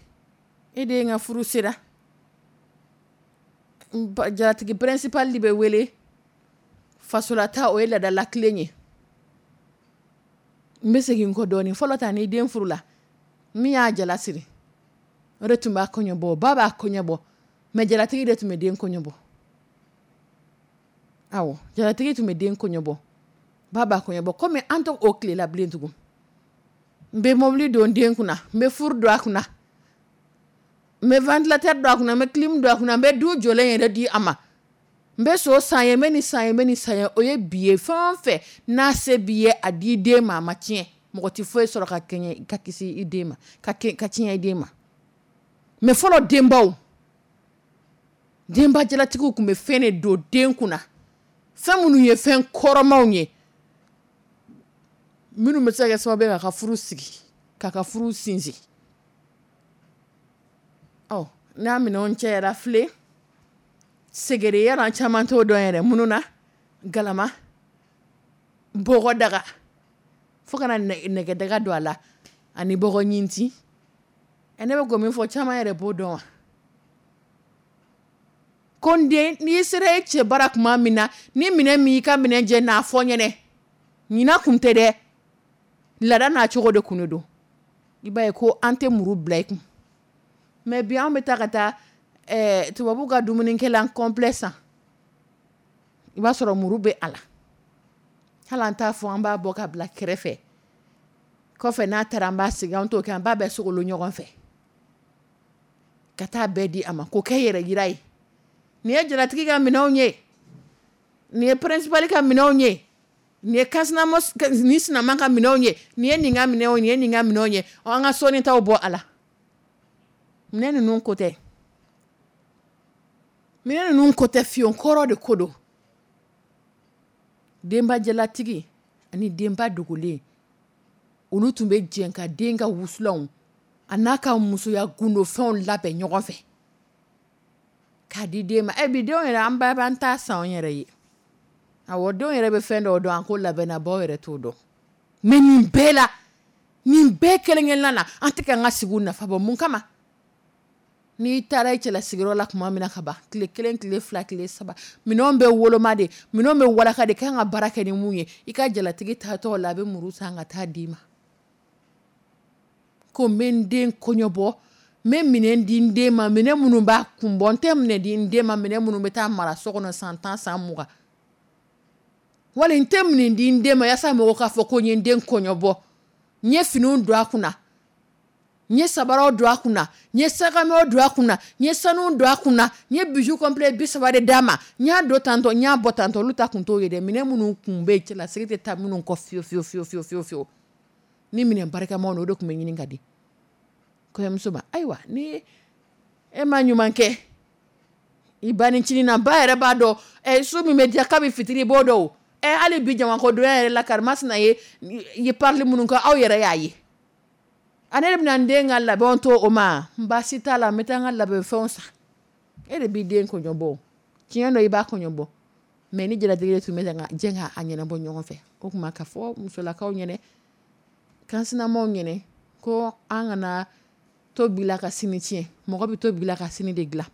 [SPEAKER 2] e den ka furu sera, jalatigi principal de bɛ wele. Fasolata, o ye laadala tilen ye. N bɛ segin n kɔ dɔɔnin. Fɔlɔ ta, n'i den furula, min y'a jala siri, o de tun b'a kɔɲɔ bɔ. Ba b'a kɔɲɔ bɔ, mais jalatigi de tun bɛ den kɔɲɔ bɔ. Awɔ, jalatigi tun bɛ den kɔɲɔ bɔ, ba b'a kɔɲɔ bɔ. Komi an tɛ o tile la bilen tugun, n bɛ mobili don den kunna, n bɛ furu don a kunna, n bɛ ventilateur don a kunna, n bɛ clim don a kunna, n bɛ du jɔlen yɛrɛ di a ma, n bɛ so san ye, n bɛ nin san ye, n bɛ nin san ye. O ye bi ye. Fɛn o fɛn n'a se b'i ye, a di den ma, a ma tiɲɛ. Mɔgɔ tɛ foyi sɔrɔ ka kɛɲɛ ka kisi i den ma, ka tiɲɛ i den ma. Mais fɔlɔ denbaw, denba jalatigiw tun bɛ fɛn de don den kunna, fɛn minnu ye fɛn kɔrɔmaw ye, minnu bɛ se ka kɛ sababu ye k'a ka furu sigi, k'a ka furu sinsin. Ɔ, n'a minɛnw cɛyara, filen segere yala, caman t'o dɔn yɛrɛ minnu na, galama, bɔgɔ daga, fo kana nɛgɛdaga don a la, ani bɔgɔ ɲinti. Ne bɛ ko min fɔ, caman yɛrɛ b'o dɔn wa. Ko n den, n'i sera e cɛ bara tuma min na, ni minɛn min y'i ka minɛn jɛ, n'a fɔ n ɲɛnɛ. Ɲina kun tɛ dɛ, laada n'a cogo de kun don. I b'a ye ko an tɛ muru bila i kun. Mais bi, an bɛ taa ka taa tubabu ka dumunikɛlan complet san, i b'a sɔrɔ muru bɛ a la. Hali an t'a fɔ an b'a bɔ ka bila kɛrɛfɛ, kɔfɛ n'a taara an b'a sigi. An t'o kɛ, an b'a bɛɛ sogolo ɲɔgɔn fɛ ka taa bɛɛ di a ma, k'o kɛ yɛrɛ yira ye: nin ye jalatigi ka minɛnw ye, nin ye principal ka minɛnw ye, nin ye kansinama ni sinama ka minɛnw ye, nin ye nin ka minɛnw ye, nin ye nin ka minɛnw ye. An ka sɔɔni taw bɔ a la. Minɛn ninnu ko tɛ, minɛn ninnu ko tɛ fiyewu, kɔrɔ de ko don. Denba jalatigi ani denba dogolen, olu tun bɛ jɛ ka den ka wusulanw a n'a ka musoya gundofɛnw labɛn ɲɔgɔn fɛ k'a di den ma. Ɛ, bi denw yɛrɛ, an ba b'an ta san an yɛrɛ ye. Awɔ, denw yɛrɛ bɛ fɛn dɔw dɔn, an ko labɛnna, baw yɛrɛ t'o dɔn. Mais nin bɛɛ la, nin bɛɛ kelen-kelenna na, an tɛ k'an ka sigiw nafa bɔ. Mun kama? N'i taara i cɛlasigiyɔrɔ la tuma min na, ka ban tile 1, tile 2, tile 3, minɛnw bɛ woloma de, minɛnw bɛ walaka de kan ka baara kɛ ni mun ye. I ka jalatigi taatɔ la, a bɛ muru san ka taa d'i ma ko n bɛ n den kɔɲɔbɔ, n bɛ minɛn di n den ma, minɛn minnu b'a kun bɔ. N tɛ minɛn di n den ma, minɛn minnu bɛ taa mara so kɔnɔ san 10, san 20, wali n tɛ minɛn di n den ma yaasa mɔgɔw k'a fɔ ko n ye n den kɔɲɔbɔ, n ye finiw don a kunna, n ye sabaraw don a kunna, n ye sagamɛw don a kunna, n ye sanu don a kunna, n ye bijou complet 30 de d'a ma, n y'a don tantɔ, n y'a bɔ tantɔ. Olu ta kun t'o ye dɛ. Minɛn minnu kun bɛ yen, cɛlasigi tɛ taa minnu kɔ fiyewu fiyewu fiyewu fiyewu fiyewu fiyewu, ni minɛn barikamaw, o de tun bɛ ɲini ka di kɔɲɔmuso ma. Ayiwa, ni e ma ɲuman kɛ i ba nicinin na, ba yɛrɛ b'a dɔn ɛ su min bɛ diya kabi fitiri, i b'o dɔn o. Ɛ, hali bi jamakodonya yɛrɛ la, karimasina ye parili minnu kɛ, aw yɛrɛ y'a ye. A ne de bɛna n den ka labɛnw to o ma, baasi t'a la, n bɛ taa n ka labɛnfɛnw san. E de b'i den kɔɲɔ bɔ, tiɲɛ dɔ i b'a kɔɲɔ bɔ, mais ni jalatigi de tun bɛ ka jɛ k'a ɲɛnabɔ ɲɔgɔn fɛ. O tuma ka fɔ musolakaw ɲɛnɛ, kansinamaw ɲɛnɛ, ko an kana to bila ka sini tiɲɛ. Mɔgɔ bɛ to bila ka sini de dilan.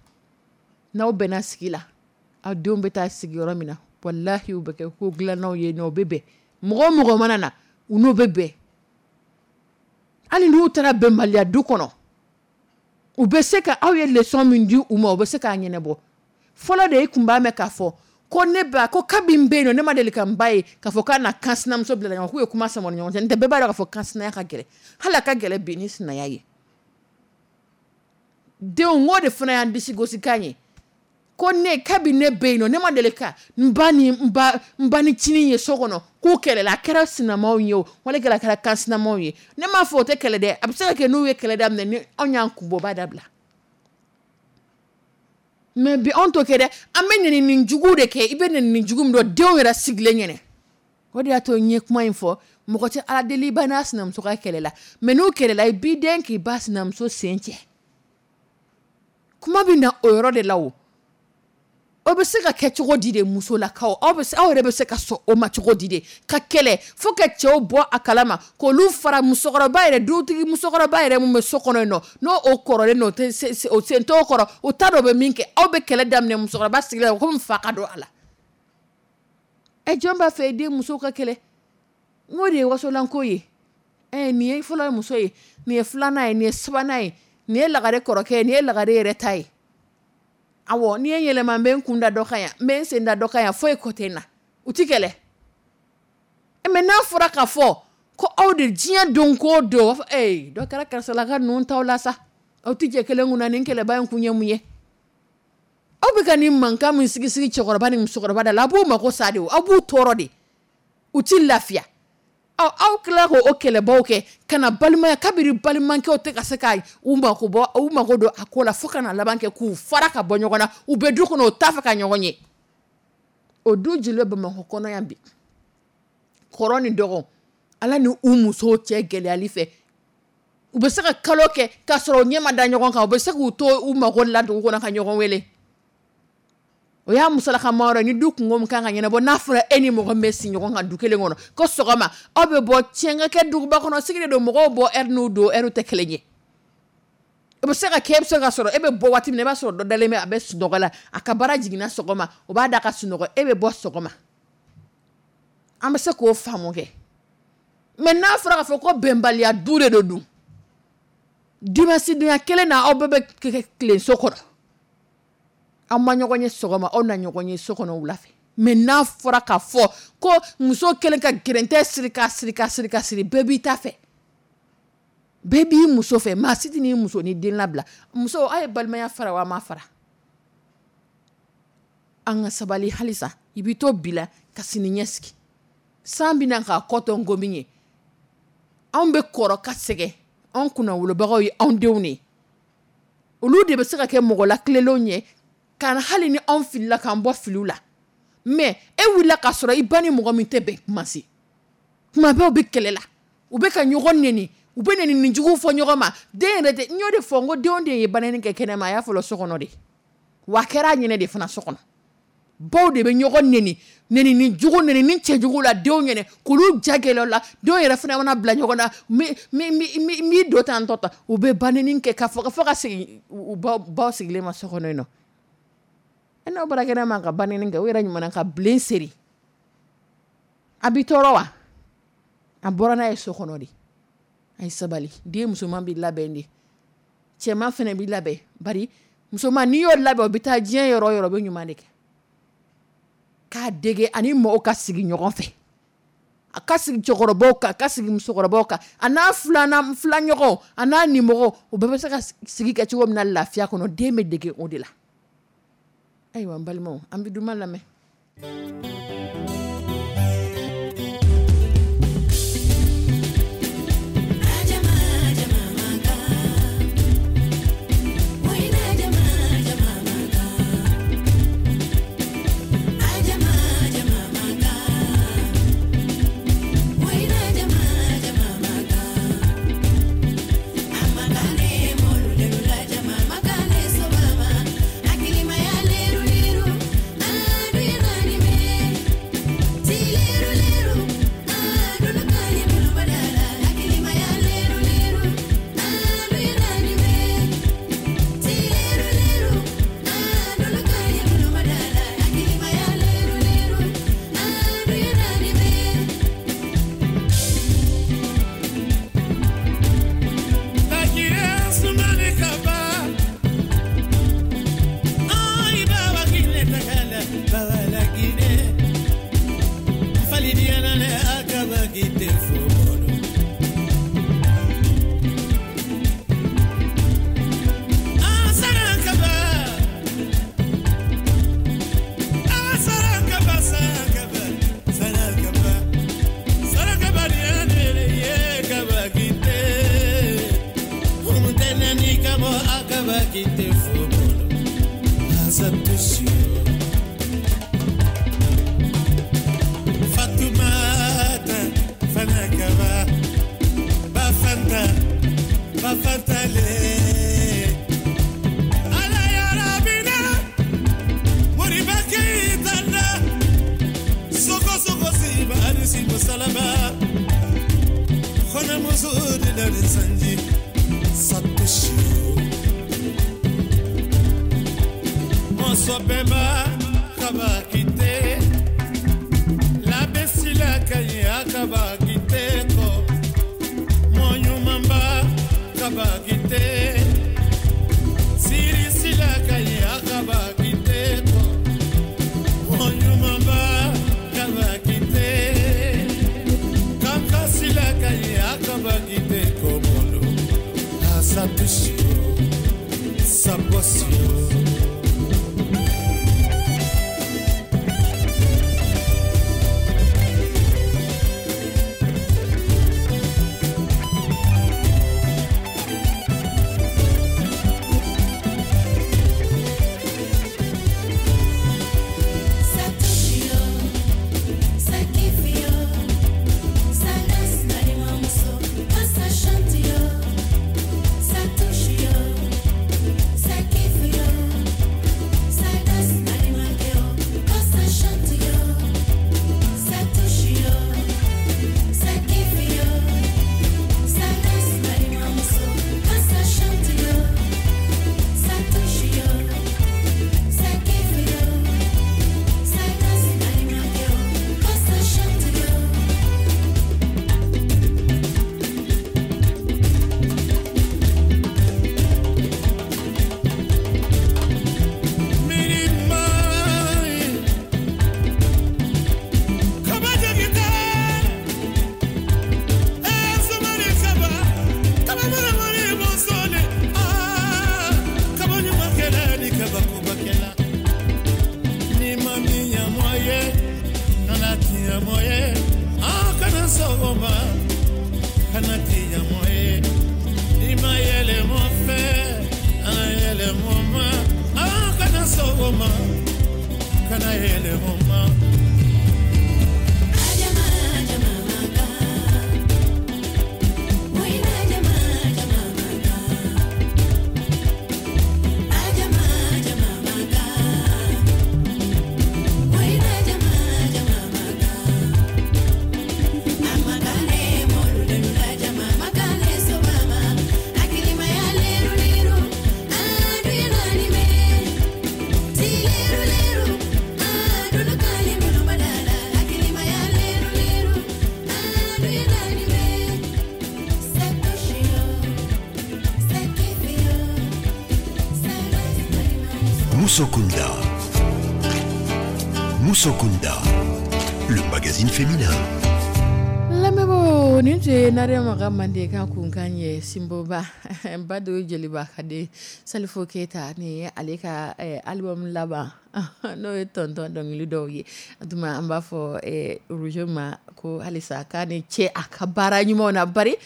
[SPEAKER 2] N'aw bɛnna sigi la, aw denw bɛ taa sigi yɔrɔ min na, walahi, u bɛ kɛ ko dilannaw ye nɔ, u bɛ bɛn. Mɔgɔ o mɔgɔ mana na, u n'u bɛ bɛn. Hali n'u taara bɛnbaliya du kɔnɔ, u bɛ se ka aw ye leçon min di u ma, u bɛ se k'a ɲɛnabɔ. Fɔlɔ de, e tun b'a mɛn k'a fɔ ko ne ba ko kabi n bɛ yen nɔ, ne ma deli ka n ba ye k'a fɔ k'a na kan sinamuso bila ɲɔgɔn k'u ye kuma sama ni ɲɔgɔn cɛ. N tɛ, bɛɛ b'a dɔn k'a fɔ kan sinaya ka gɛlɛn, hali a ka gɛlɛn bi ni sinaya ye. Denw, n k'o de fana y'an disi gosikan ye, ko ne kabi ne bɛ yen nɔ, ne ma deli ka n ba ni n ba nicinin ye so kɔnɔ k'u kɛlɛla. A kɛra sinamaw ye o, wali kɛra a kɛra kan sinamaw ye. Ne m'a fɔ o tɛ kɛlɛ dɛ, a bɛ se ka kɛ n'u ye kɛlɛ daminɛ, ni anw y'an kun bɔ, o b'a dabila. Mais bi, anw t'o kɛ dɛ. An bɛ nɛnini jugu de kɛ. I bɛ nɛnini jugu min dɔn denw yɛrɛ sigilen ɲɛnɛ, o de y'a to n ye kuma in fɔ. Mɔgɔ tɛ Ala deli i ba n'a sinamuso ka kɛlɛ la, mais n'u kɛlɛla, i b'i den k'i ba sinamuso sen cɛ. Kuma bɛ na o yɔrɔ de la. O bɛ se ka kɛ cogo di de, musolakaw? Aw bɛ aw yɛrɛ bɛ se ka sɔn o ma cogo di de, ka kɛlɛ fo ka cɛw bɔ a kalama, k'olu fara musokɔrɔba yɛrɛ, dutigi musokɔrɔba yɛrɛ min bɛ so kɔnɔ yen nɔ, n'o o kɔrɔlen don, o sen t'o kɔrɔ, o t'a dɔn o bɛ min kɛ? Aw bɛ kɛlɛ daminɛ musokɔrɔba sigilen komi fa ka don a la. Ɛ, jɔn b'a fɛ i den muso ka kɛlɛ? N de ye wasolanko ye. Ɛ, nin ye fɔlɔ muso ye, nin ye filanan ye, nin ye sabanan ye, nin ye lagare kɔrɔkɛ ye, nin ye lagare yɛrɛ ta ye. Awɔ, n'i ye yɛlɛma, n bɛ n kun da dɔ kan yan, n bɛ n sen da dɔ kan yan, foyi ko tɛ n na, u ti kɛlɛ. Mais n'a fɔra k'a fɔ ko aw de diɲɛ don ko don, ee, dɔ kɛra karisalaka ninnu t'aw la sa, aw tɛ jɛ kelen kunna. Nin kɛlɛba in kun ye mun ye? Aw bɛ ka nin mankan min sigi sigi cɛkɔrɔba ni musokɔrɔba da la, aw b'u mako sa de, aw b'u tɔɔrɔ de, u ti lafiya. Aw tila k'o kɛlɛbaw kɛ ka na balimaya, kabiri balimakɛw tɛ ka se ka u mako bɔ, u mako don a ko la, fo ka na laban kɛ k'u fara ka bɔ ɲɔgɔn na. U bɛ du kɔnɔ, u t'a fɛ ka ɲɔgɔn ye. O du jeli bɛ Bamakɔ kɔnɔ yan bi, kɔrɔ ni dɔgɔ, Ala ni u musow cɛ gɛlɛyali fɛ, u bɛ se ka kalo kɛ k'a sɔrɔ u ɲɛ ma da ɲɔgɔn kan. U bɛ se k'u to u mako la dugu kɔnɔ ka ɲɔgɔn wele. O y'a musolaka ma yɔrɔ ni du kungo min kan ka ɲɛnabɔ. N'a fɔra e ni mɔgɔ min bɛ sigi ɲɔgɔn kan du kelen kɔnɔ, ko sɔgɔma aw bɛ bɔ, tiɲɛ ka kɛ duguba kɔnɔ sigi de don, mɔgɔw bɔ ɛri n'u don ɛriw tɛ kelen ye. O bɛ se ka kɛ, e bɛ se ka sɔrɔ e bɛ bɔ waati min na, i b'a sɔrɔ dɔ dalen bɛ, a bɛ sunɔgɔ la. A ka baara jiginna sɔgɔma, o b'a da ka sunɔgɔ, e bɛ bɔ sɔgɔma. An bɛ se k'o faamu kɛ. Mais n'a fɔra k'a fɔ ko bɛnbaliya du de don dun, dimanche kelen na, aw bɛɛ bɛ tilen so kɔnɔ, aw ma ɲɔgɔn ye sɔgɔma, aw na ɲɔgɔn ye so kɔnɔ wula fɛ. Mais n'a fɔra k'a fɔ ko muso kelen ka gɛrɛntɛ siri ka siri ka siri ka siri, bɛɛ b'i ta fɛ, bɛɛ b'i muso fɛ, maa si tɛ n'i muso ni den labila. Muso, aw ye balimaya fara wa ma fara? An ka sabali halisa. I b'i to bi la ka sini ɲɛsigi. San bɛna k'a kɔ tɔ nkomi ye. Anw bɛ kɔrɔ ka sɛgɛn, anw kunnawolobagaw ye anw denw de ye. Olu de bɛ se ka kɛ mɔgɔ lakilenlenw ye ka hali ni anw filila, k'an bɔ filiw la. Mais e wulila k'a sɔrɔ i ba ni mɔgɔ min tɛ bɛn kuma se, kuma bɛɛ u bɛ kɛlɛ la, u bɛ ka ɲɔgɔn neni, u bɛ neni jugu fɔ ɲɔgɔn ma. Den yɛrɛ tɛ, n y'o de fɔ, n ko den o den ye banni kɛ kɛnɛma, a y'a fɔlɔ so kɔnɔ de, wa a kɛra a ɲɛnɛ de fana so kɔnɔ. Baw de bɛ ɲɔgɔn neni, neni ni jugu, neni ni cɛjugu la denw ɲɛnɛ, k'olu ja gɛlɛya la. Denw yɛrɛ fana mana bila ɲɔgɔn na, n b'i don tan tɔ tan, u bɛ banni kɛ ka fɔ ka segin u baw sigilen ma so kɔnɔ yen nɔ. E n'aw bɔra kɛnɛ ma ka banni kɛ, u yɛrɛ ɲuman ka bilen seri, a b'i tɔɔrɔ wa? A bɔra n'a ye so kɔnɔ de. A ye sabali. Den musoman b'i labɛn de, cɛman fana b'i labɛn. Bari musoman, n'i y'o labɛn, o bɛ taa diɲɛ yɔrɔ o yɔrɔ, o bɛ ɲuman de kɛ. K'a dege ani mɔgɔw ka sigi ɲɔgɔn fɛ, a ka sigi cɛkɔrɔbaw kan, a ka sigi musokɔrɔbaw kan, a n'a filanan filaɲɔgɔnw, a n'a nimɔgɔw, u bɛɛ bɛ se ka sigi kɛ cogo min na lafiya kɔnɔ. Den bɛ dege o de la. Ayiwa, n balimaw, an bɛ duman lamɛn.
[SPEAKER 4] touche. Fatoumata Fanakaba Bafanta Bafantale Ala ya Rabina Moriba Keitana Soko soko siba anisi salama Khona muzuri la sanji Ça touche. Mosobemba kabakite La besila kaya kabakite ko Monyumamba kabakite Siri sila kaya kabakite ko Monyumamba kabakite Kanka sila kaya kabakite ko molo Ça touche, ça bosse.
[SPEAKER 3] Ça touche yo, ça kiffe yo, ça danse dans les morceaux, quand ça chante yo. Ça touche yo, ça kiffe yo, ça danse dans les morceaux, quand ça chante yo. Ça touche yo, ça kiffe yo, ça danse dans les morceaux, quand ça chante yo. Ça touche yo, ça kiffe yo. Ça danse dans les morceaux, quand ça chante yo.
[SPEAKER 4] Mirimai, kaba jagite, somari kaba, kaba mara mari bosole, ah, kaba nyumakela ni kaba kubakela, ni mami ya moye, nana tiya moye, ah kana sogoma, kana tiya moye, ni mayele mo fe, ana yele mo ma, ah kana sogoma. Kana yele moma.
[SPEAKER 3] Ajama, ajama maka, wina ajama, ajama maka. Ajama, ajama maka, wina ajama, ajama maka. Amakane molu ajama makane sobama, akilima ya leru leru, aduya nime. Tileru leru, adunu kali mulu badala, akilima ya leru leru, aduya nime. Ça touche yo, ça kiffe yo, ça reste dans les morceaux.
[SPEAKER 1] Moussokunda. Moussokunda, le magazine féminin.
[SPEAKER 2] Lamɛnbaaw, nin tun ye Nare Makan Mandenkan kunkan ye. Sinboba Bado Jeliba ka den Salifo Keyita, nin ye ale ka album laban, n'o ye tɔntɔn dɔnkili dɔw ye. O tuma an b'a fɔ Roger ma ko halisa k'a ni ce a ka baara ɲumanw na. Bari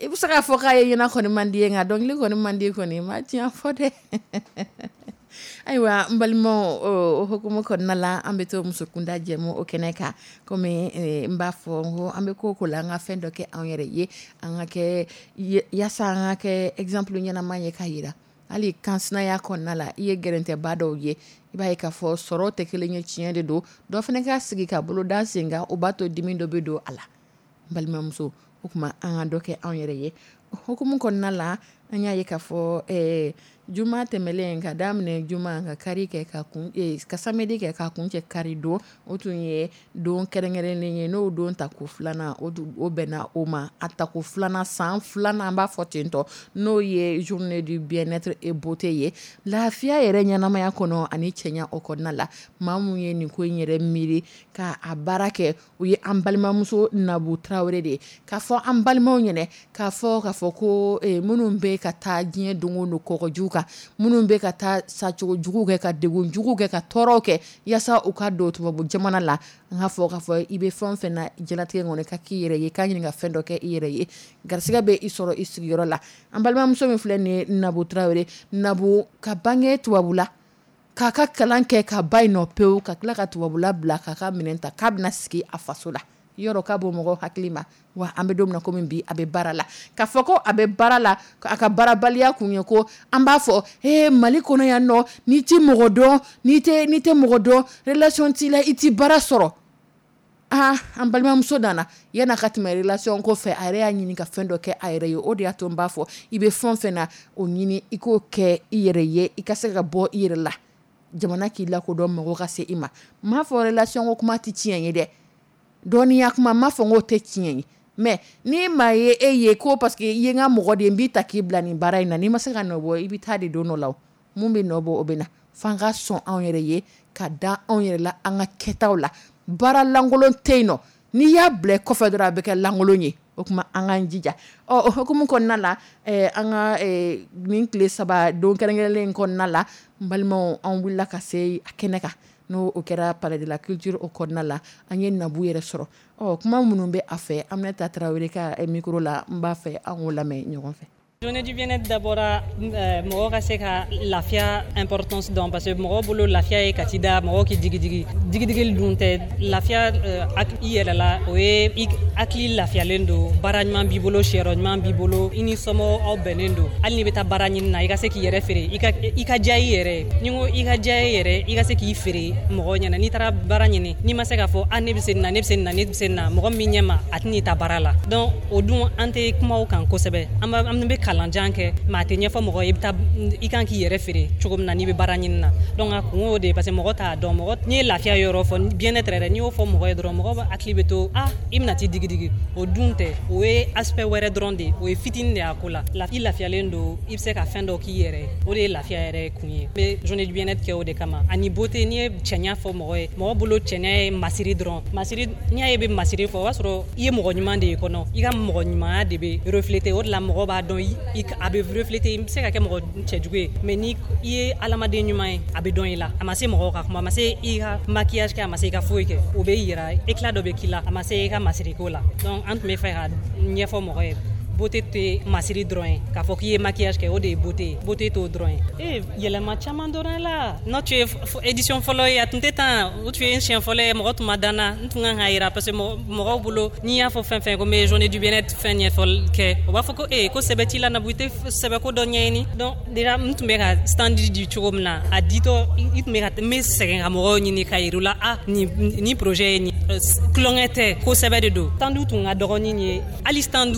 [SPEAKER 2] i bɛ se k'a fɔ k'a ye ɲɛna kɔni man di ye, nka dɔnkili kɔni man di kɔni ma tiɲɛ fɔ dɛ. Ayiwa, n balimaw, o hukumu kɔnɔna la, an bɛ to musokunda jɛmu o kɛnɛ kan. Komi n b'a fɔ n ko an bɛ ko o ko la, an ka fɛn dɔ kɛ anw yɛrɛ ye, an ka kɛ yaasa an ka kɛ exemple ɲɛnama ye ka yira hali kansinaya kɔnɔna la. I ye gɛrɛntɛba dɔw ye, i b'a ye k'a fɔ sɔrɔ tɛ kelen ye, tiɲɛ de don. Dɔ fana ka sigi ka bolo da sen kan, o b'a to dimi dɔ bɛ don a la. N balimamuso, o tuma an ka dɔ kɛ anw yɛrɛ ye. O hukumu kɔnɔna la, an y'a ye k'a fɔ juma tɛmɛlen, ka daminɛ juma ka kari kɛ ka kun ka samedi kɛ ka kun cɛ kari don, o tun ye don kɛrɛnkɛrɛnnen ye, n'o don tako filanan o o bɛnna o ma, a tako filanan, san filanan, an b'a fɔ ten tɔ, n'o ye journée du bien-être et beauté ye, lafiya yɛrɛ ɲɛnamaya kɔnɔ ani cɛɲa o kɔnɔna la. Maa mun ye nin ko in yɛrɛ miiri ka a baara kɛ, o ye an balimamuso Nabu Tarawele de ye. K'a fɔ an balimaw ɲɛnɛ k'a fɔ ko minnu bɛ ka taa diɲɛ don o don kɔgɔjiw kan, minnu bɛ ka taa sacogo jugu kɛ, ka degun jugu kɛ, ka tɔɔrɔw kɛ yaasa u ka don tubabu jamana la, an k'a fɔ k'a fɔ i bɛ fɛn o fɛn na diɲɛlatigɛ kɔnɔ, ka k'i yɛrɛ ye, k'a ɲini ka fɛn dɔ kɛ i yɛrɛ ye, garisɛgɛ bɛ i sɔrɔ i sigiyɔrɔ la. An balimamuso min filɛ nin ye, Nabu Tarawele, Nabu ka bange tubabu la. K'a ka kalan kɛ ka ba yen nɔ pewu, ka tila ka tubabula bila, k'a ka minɛn ta k'a bɛna sigi a faso la. Yɔrɔ k'a bɔ mɔgɔw hakili ma, wa an bɛ don min na komi bi, a bɛ baara la. K'a fɔ ko a bɛ baara la, a ka baarabaliya kun ye ko an b'a fɔ ee Mali kɔnɔ yan nɔ, n'i ti mɔgɔ dɔn, n'i tɛ mɔgɔ dɔn, relation t'i la, i ti baara sɔrɔ. Aa, an balimamuso nana yan'a ka tɛmɛ relation ko fɛ, a yɛrɛ y'a ɲini ka fɛn dɔ kɛ a yɛrɛ ye. O de y'a to n b'a fɔ, i bɛ fɛn o fɛn na, o ɲini i k'o kɛ i yɛrɛ ye, i ka se ka bɔ i yɛrɛ la, jamana k'i lakodɔn, mɔgɔ ka se i ma. N m'a fɔ relation ko kuma tɛ tiɲɛ ye dɛ, dɔnniya kuma, n m'a fɔ n k'o tɛ tiɲɛ ye, mais ni maa ye e ye ko parce que i ye n ka mɔgɔ de ye, n b'i ta k'i bila nin baara in na, n'i ma se ka nɔ bɔ, i bɛ taa de don dɔ la. O mun bɛ nɔ bɔ, o bɛ na. F'an ka sɔn anw yɛrɛ ye, ka da anw yɛrɛ la, an ka kɛtaw la. Baara lankolon tɛ yen nɔ, n'i y'a bila kɔfɛ dɔrɔn, a bɛ kɛ lankolon ye. O tuma an k'an jija. Ɔ, o hukumu kɔnɔna la, an ka nin tile 3 don kɛrɛnkɛrɛnlen in kɔnɔna la, n balimaw, an wulila ka se a kɛnɛ kan, n'o o kɛra Palais de la Culture. O kɔnɔna la, an ye Nabu yɛrɛ sɔrɔ. Ɔ, kuma minnu bɛ a fɛ, Aminata Tarawele ka micro la, n b'a fɛ an k'o lamɛn ɲɔgɔn fɛ.
[SPEAKER 5] Journée du bien-être dabɔra mɔgɔ ka se ka lafiya importance dɔn, parce que mɔgɔ bolo, lafiya ye ka t'i da, mɔgɔ k'i digidigi. Digidigili dun tɛ lafiya. I yɛrɛ la, o ye i hakili lafiyalen don, baara ɲuman b'i bolo, siyɔrɔ ɲuman b'i bolo, i ni somɔgɔw aw bɛnnen don. Hali n'i bɛ taa baara ɲini na, i ka se k'i yɛrɛ feere, i ka diya i yɛrɛ ye. Ni n ko i ka diya i yɛrɛ, i ka se k'i feere mɔgɔw ɲɛna. N'i taara baara ɲini, n'i ma se k'a fɔ: "A, ne bɛ se nin na, ne bɛ se nin na, ne bɛ se nin na", mɔgɔ min ɲɛ ma, a tɛn'i ta baara la. Donc o dun, an tɛ kuma o kan kosɛbɛ. An bɛ kalanjan kɛ, mais a tɛ ɲɛfɔ mɔgɔ ye i bɛ taa, i kan k'i yɛrɛ feere cogo min na n'i bɛ baara ɲini na. Donc a kun y'o de ye, parce que mɔgɔ t'a dɔn. Mɔgɔ, n'i ye lafiya yɔrɔ fɔ, bien-être yɛrɛ, n'i y'o fɔ mɔgɔ ye dɔrɔn, mɔgɔ bɛ hakili bɛ to: "Ah, i bɛna t'i digidigi." O dun tɛ, o ye aspect wɛrɛ dɔrɔn de ye, o ye fitinin de ye a ko la. I lafiyalen don, i bɛ se ka fɛn dɔ k'i yɛrɛ ye, o de ye lafiya yɛrɛ kun ye. N bɛ journée du bien-être kɛ o de kama. Ani beauté, n'i ye cɛɲa fɔ mɔgɔ ye, mɔgɔ bolo, cɛɲa ye masiri dɔrɔn. Masiri, n'i y'a ye i bɛ masiri fɔ, o b'a sɔrɔ i ye mɔgɔ ɲuman de ye kɔnɔ, i ka mɔgɔ ɲumanya de bɛ refléter. O de la mɔgɔ b'a dɔn, a bɛ refléter. I bɛ se ka kɛ mɔgɔ cɛjugu ye, mais ni i ye adamaden ɲuman ye, a bɛ dɔn i la. A ma se mɔgɔw ka kuma, a ma se i ka maquillage kɛ, a ma se i ka foyi kɛ, o bɛ yira, éclat dɔ bɛ k'i la, a ma se i ka masiriko la. Donc an tun bɛ fɛ ka ɲɛfɔ mɔgɔ ye, beauté tɛ masiri dɔrɔn ye, k'a fɔ k'i ye maquillage kɛ, o de ye beauté ye. Beauté t'o dɔrɔn ye. E yɛlɛma caman dɔrɔn la. N'o tun ye édition fɔlɔ ye, a tun tɛ tan. O tun ye n siɲɛ fɔlɔ ye, mɔgɔ tun ma dan na, n tun kan k'a yira, parce que mɔgɔw bolo, n'i y'a fɔ fɛn fɛn ko n bɛ journée du bien-être fɛn ɲɛfɔli kɛ, o b'a fɔ ko ee, ko sɛbɛ t'i la Nabu, i tɛ sɛbɛ ko dɔ ɲɛɲini. Donc déjà, n tun bɛ ka stand di cogo min na, a ditɔ, i tun bɛ ka n bɛ sɛgɛn ka mɔgɔw ɲini ka yir'u la: "Ah, nin projet ye nin, tulonkɛ tɛ, ko sɛbɛ de don." Stand tun ka dɔgɔnin ye, hali stand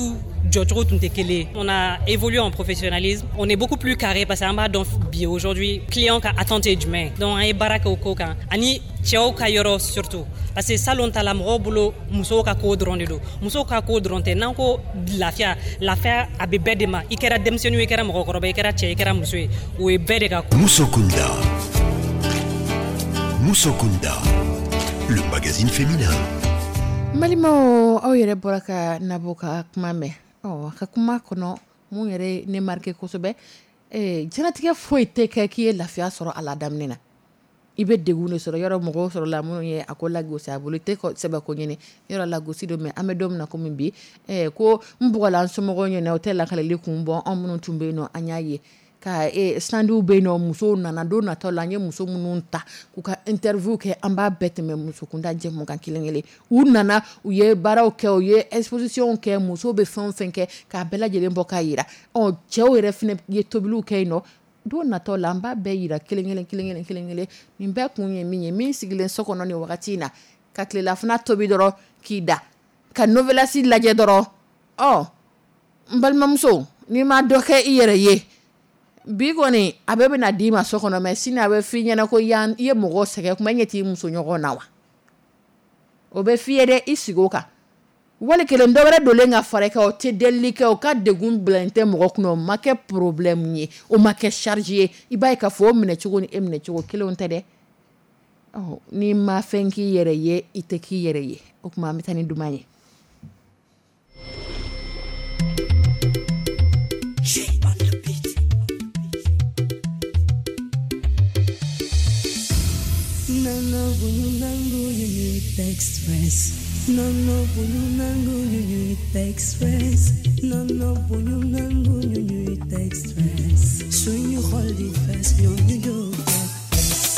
[SPEAKER 5] jɔcogo tun tɛ kelen ye. On a évolué en professionnalisme, on est beaucoup plus carré, parce que an b'a dɔn bi, aujourd'hui, client ka attente ye jumɛn ye. Donc an ye baara kɛ o ko kan, ani cɛw ka yɔrɔ surtout, parce que salon ta la, mɔgɔw bolo, musow ka ko dɔrɔn de don. Musow ka ko dɔrɔn tɛ. N'an ko lafiya, lafiya a bɛ bɛɛ de ma. I kɛra denmisɛnnin ye, i kɛra mɔgɔkɔrɔba, i kɛra cɛ, i kɛra muso ye, o ye bɛɛ de ka ko.
[SPEAKER 1] Musokunda. Musokunda. Le magazine féminin.
[SPEAKER 2] N balimaw, aw yɛrɛ bɔra ka Nabɔ ka kuma mɛn. Ɔ, a ka kuma kɔnɔ, mun yɛrɛ ye ne marqué kosɛbɛ, diɲɛlatigɛ foyi tɛ kɛ k'i ye lafiya sɔrɔ a la. Daminɛ na, i bɛ degun de sɔrɔ. Yɔrɔ mɔgɔw sɔrɔ la minnu ye a ko lagosi a bolo, i tɛ sɛbɛ ko ɲini yɔrɔ lagosi don. Mais an bɛ don min na komi bi, ko n bugɔla n somɔgɔw ɲɛna, o tɛ lakaleli kun bɔ. Anw minnu tun bɛ yen nɔ, an y'a ye ka standw bɛ yen nɔ, musow nana. Don natɔ la, an ye muso minnu ta k'u ka interview kɛ, an b'a bɛɛ tɛmɛ musokunda jɛmu kan kelen kelen. U nana, u ye baaraw kɛ, u ye exposition kɛ, musow bɛ fɛn o fɛn kɛ, k'a bɛɛ lajɛlen bɔ k'a yira. Ɔ, cɛw yɛrɛ fɛnɛ ye tobiliw kɛ yen nɔ. Don natɔ la, an b'a bɛɛ yira kelen kelen, kelen kelen, kelen kelen. Nin bɛɛ kun ye min ye, min sigilen so kɔnɔ nin wagati in na, ka tilelafana tobi dɔrɔn k'i da ka novelas lajɛ dɔrɔn, ɔ, n balimamuso, n'i ma dɔ kɛ i yɛrɛ ye bi kɔni, a bɛɛ bɛna d'i ma so kɔnɔ, mais sini a bɛ f'i ɲɛna ko yan i ye mɔgɔ sɛgɛn kuma, ɲɛ t'i muso ɲɔgɔn na wa. O bɛ f'i ye dɛ, i sigi o kan. Wali kelen dɔ wɛrɛ donlen ka fara i kan, o tɛ delili kɛ, o ka degun bila tɛ mɔgɔ kunna, o ma kɛ problème ye, o ma kɛ charge ye. I b'a ye k'a fɔ o minɛcogo ni e minɛcogo kelenw tɛ dɛ. Ɔ, n'i ma fɛn k'i yɛrɛ ye, i tɛ k'i yɛrɛ ye. O tuma an bɛ taa ni duman ye.
[SPEAKER 3] Non, bu ñu nangu ñu ñuy teg stress. Non, bu ñu nangu ñu ñuy teg stress. Non, bu ñu nangu ñu ñuy teg stress. Suñu xol di fees, ñoom ñu jóg teg.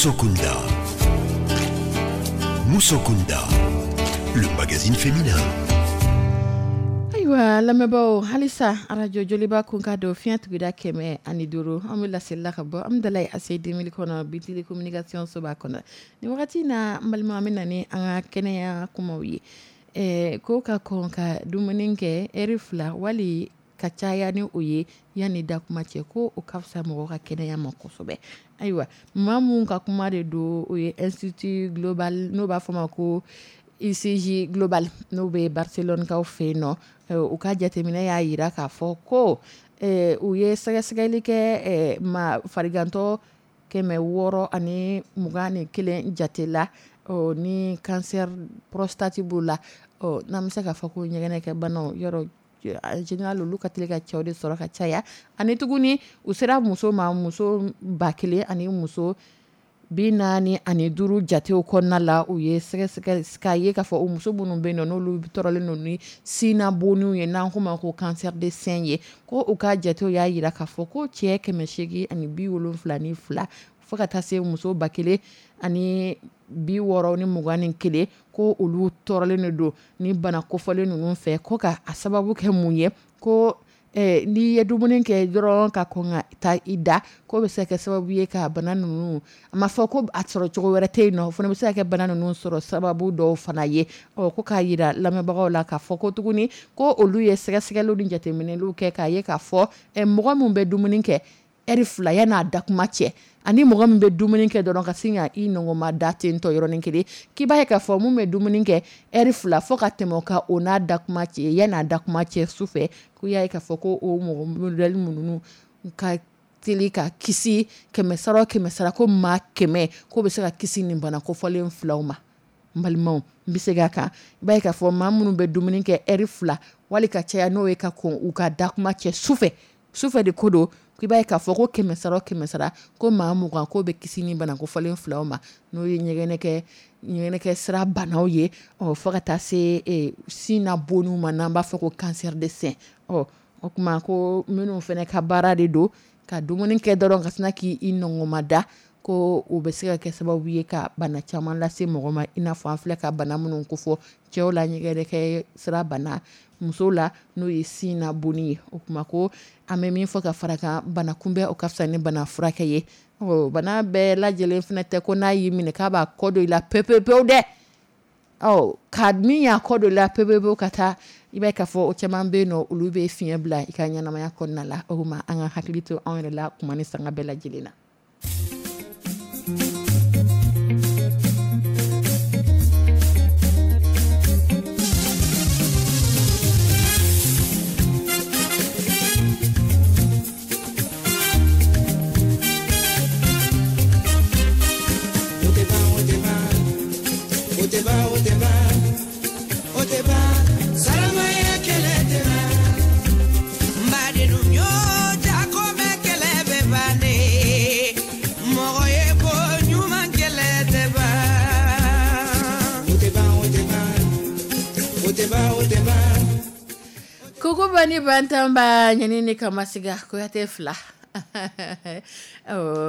[SPEAKER 1] Moussokunda. Moussokunda, le magazine féminin.
[SPEAKER 2] Ayiwa lamɛnbaaw, halisa arajo Joliba kun ka don fiɲɛ tuguda 105, an bɛ laselila ka bɔ Amudalayi ACI 2000 kɔnɔ, Bitili communication soba kɔnɔ. Nin wagati na, n balima, an bɛ na ni an ka kɛnɛya kumaw ye. Ko ka kɔn ka dumuni kɛ ɛri 2 wali ka caya ni o ye yanni da kuma cɛ, ko o ka fisa mɔgɔ ka kɛnɛya ma kosɛbɛ. Ayiwa, maa mun ka kuma de don, o ye Institut Global, n'o b'a fɔ ma ko ICG Global, n'o bɛ Barcelone kaw fɛ yen nɔ. U ka jateminɛ y'a jira k'a fɔ ko u ye sɛgɛsɛgɛli kɛ ma farigantɔ 621 jate la, ni cancer prostate b'u la. N'an bɛ se k'a fɔ ko ɲɛgɛnɛkɛ banaw yɔrɔ, en général olu ka teli ka cɛw de sɔrɔ ka caya. Ani tuguni u sera muso ma, muso 1000 ani muso 45 jatew kɔnɔna la, u ye sɛgɛsɛgɛ k'a ye k'a fɔ o muso minnu bɛ yen nɔ, n'olu tɔɔrɔlen don ni sinna boniw ye, n'an k'o ma ko cancer de sein ye, ko u ka jatew y'a jira k'a fɔ ko cɛ 872 fo ka taa se muso 1061, ko olu tɔɔrɔlen de don ni bana kofɔlen ninnu fɛ. Ko ka a sababu kɛ mun ye? Ko n'i ye dumuni kɛ dɔrɔn ka kɔn ka taa i da, k'o bɛ se ka kɛ sababu ye ka bana ninnu, a ma fɔ ko a sɔrɔ cogo wɛrɛ tɛ yen nɔ, o fana bɛ se ka kɛ bana ninnu sɔrɔ sababu dɔw fana ye. Ɔ, ko k'a jira lamɛnbagaw la k'a fɔ ko tuguni ko olu ye sɛgɛsɛgɛliw ni jateminɛliw kɛ k'a ye k'a fɔ mɔgɔ min bɛ dumuni kɛ ɛri 2 yan'a dakuma cɛ, ani mɔgɔ min bɛ dumuni kɛ dɔrɔn ka sin ka i nɔngɔnma da ten tɔ yɔrɔnin kelen, k'i b'a ye k'a fɔ mun bɛ dumuni kɛ ɛri 2 fo ka tɛmɛ o kan, o n'a dakuma cɛ, yan'a dakuma cɛ su fɛ, ko y'a ye k'a fɔ ko o mɔgɔ modèle ninnu ka teli ka kisi 100 sara o 100 sara, ko maa 100 k'o bɛ se ka kisi nin bana kofɔlen filaw ma. N balimaw, n bɛ segin a kan, i b'a ye k'a fɔ maa minnu bɛ dumuni kɛ ɛri 2 wali ka caya n'o ye ka kɔn u ka dakuma cɛ sufɛ, sufɛ de ko don, k'i b'a ye k'a fɔ ko 100 sara o 100 sara, ko maa 20 k'o bɛ kisi ni bana kofɔlen filaw ma, n'o ye ɲɛgɛnɛkɛ sira banaw ye, ɔ fo ka taa se sin na boniw ma, n'an b'a fɔ ko cancer de sein. Ɔ, o tuma ko minnu fana ka baara de don ka dumuni kɛ dɔrɔn ka sina k'i nɔngɔnma da, ko o bɛ se ka kɛ sababu ye ka bana caman lase mɔgɔ ma, i n'a fɔ an filɛ ka bana minnu kofɔ cɛw la, ɲɛgɛnɛkɛ sira bana, musow la n'o ye sin na bonni ye. O tuma ko an bɛ min fɔ ka fara kan, bana kunbɛn o ka fisa ni bana furakɛ ye. Ɔ, bana bɛɛ lajɛlen fana tɛ ko n'a y'i minɛ k'a b'a kɔ don i la pewu pewu pewu dɛ. Ɔ, ka min y'a kɔ don i la pewu pewu ka taa I b'a ye k'a fɔ o caman bɛ yen nɔ, olu bɛ fiɲɛ bila i ka ɲɛnamaya kɔnɔna la. O tuma an ka hakili to anw yɛrɛ la kuma ni sanga bɛɛ lajɛlen na. Kokoba ni bantanba ɲani ni kamasiga Kuyate fila.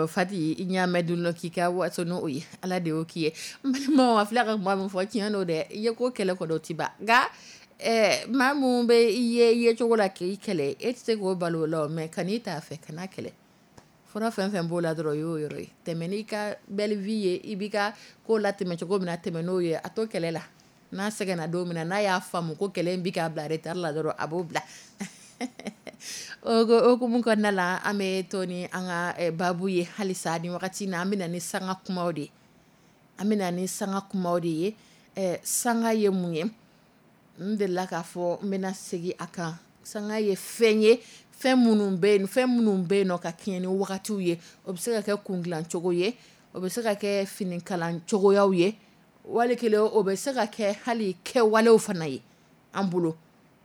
[SPEAKER 2] Fati i ɲa mɛn dun k'i ka waso n'o ye, Ala de y'o k'i ye. N balimaw, a filɛ ka kuma min fɔ, tiɲɛ don dɛ. I ye ko kɛlɛ kɔni o tɛ ban, nka maa mun bɛ i ye i ye cogo la k'i kɛlɛ, e tɛ se k'o balo o la, mais kan'i t'a fɛ, kana kɛlɛ. Fura fɛn fɛn b'o la dɔrɔn, o y'o yɔrɔ ye. Tɛmɛ n'i ka belle vie ye, i b'i ka ko latɛmɛ cogo min na, tɛmɛ n'o ye, a to kɛlɛ la. N'a sɛgɛnna don min na, n'a y'a faamu ko kɛlɛ in bɛ k'a bila retard la dɔrɔn, a b'o bila. O hukumu kɔnɔna la, an bɛ to ni an ka baabu ye halisa ni wagati na. An bɛ na ni sanga kumaw de ye. An bɛ na ni sanga kumaw de ye. Sanga ye mun ye? N delila k'a fɔ, n bɛna segin a kan. Sanga ye fɛn ye, fɛn minnu bɛ yen, fɛn minnu bɛ yen nɔ ka kɛɲɛ ni wagatiw ye. O bɛ se ka kɛ kun dilan cogo ye, o bɛ se ka kɛ finikalan cogoyaw ye, wali kelen o bɛ se ka kɛ hali kɛwalew fana ye an bolo.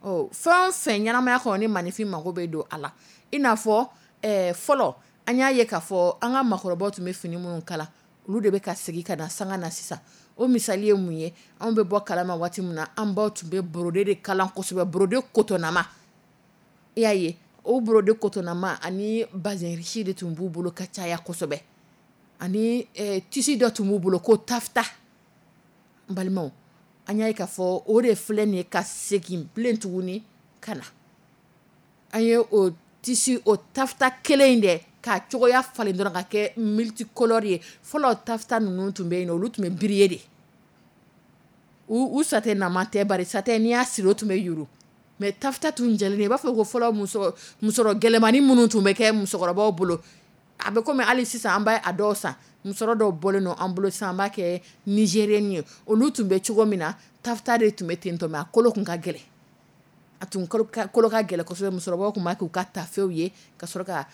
[SPEAKER 2] Ɔ, fɛn o fɛn ɲɛnamaya kɔnɔ ni maninfin mako bɛ don a la, i n'a fɔ fɔlɔ an y'a ye k'a fɔ an ka maakɔrɔbaw tun bɛ fini minnu kala, olu de bɛ ka segin ka na sanga na sisan. O misali ye mun ye? Anw bɛ bɔ kalama waati min na, an baw tun bɛ brodé de kalan kosɛbɛ, brodé kotonnama. I y'a ye, o brodé kotonnama ani bazin riche de tun b'u bolo ka caya kosɛbɛ, ani tissu dɔ tun b'u bolo ko tafta. N balimaw, an y'a ye k'a fɔ o de filɛ nin ye ka segin bilen tuguni ka na. An ye o tissu, o tafta kelen in dɛ k'a cogoya falen dɔrɔn ka kɛ multicolore ye. Fɔlɔ tafta ninnu tun bɛ yen, olu tun bɛ briller de. U satin nama tɛ, bari satin n'i y'a siri o tun bɛ yuru. Mais tafta tun jɛlen, i b'a fɔ ko fɔlɔ musɔrɔ gɛlɛmani minnu tun bɛ kɛ musokɔrɔbaw bolo. A bɛ komi hali sisan an b'a dɔw san, musɔrɔ dɔw bɔlen don an bolo sisan, an b'a kɛ nigérienne ye. Olu tun bɛ cogo min na, tafta de tun bɛ ten tɔ, mais a kolo tun ka gɛlɛn. A tun kolo ka gɛlɛn kosɛbɛ. Musokɔrɔbaw tun b'a k'u ka tafew ye ka sɔrɔ ka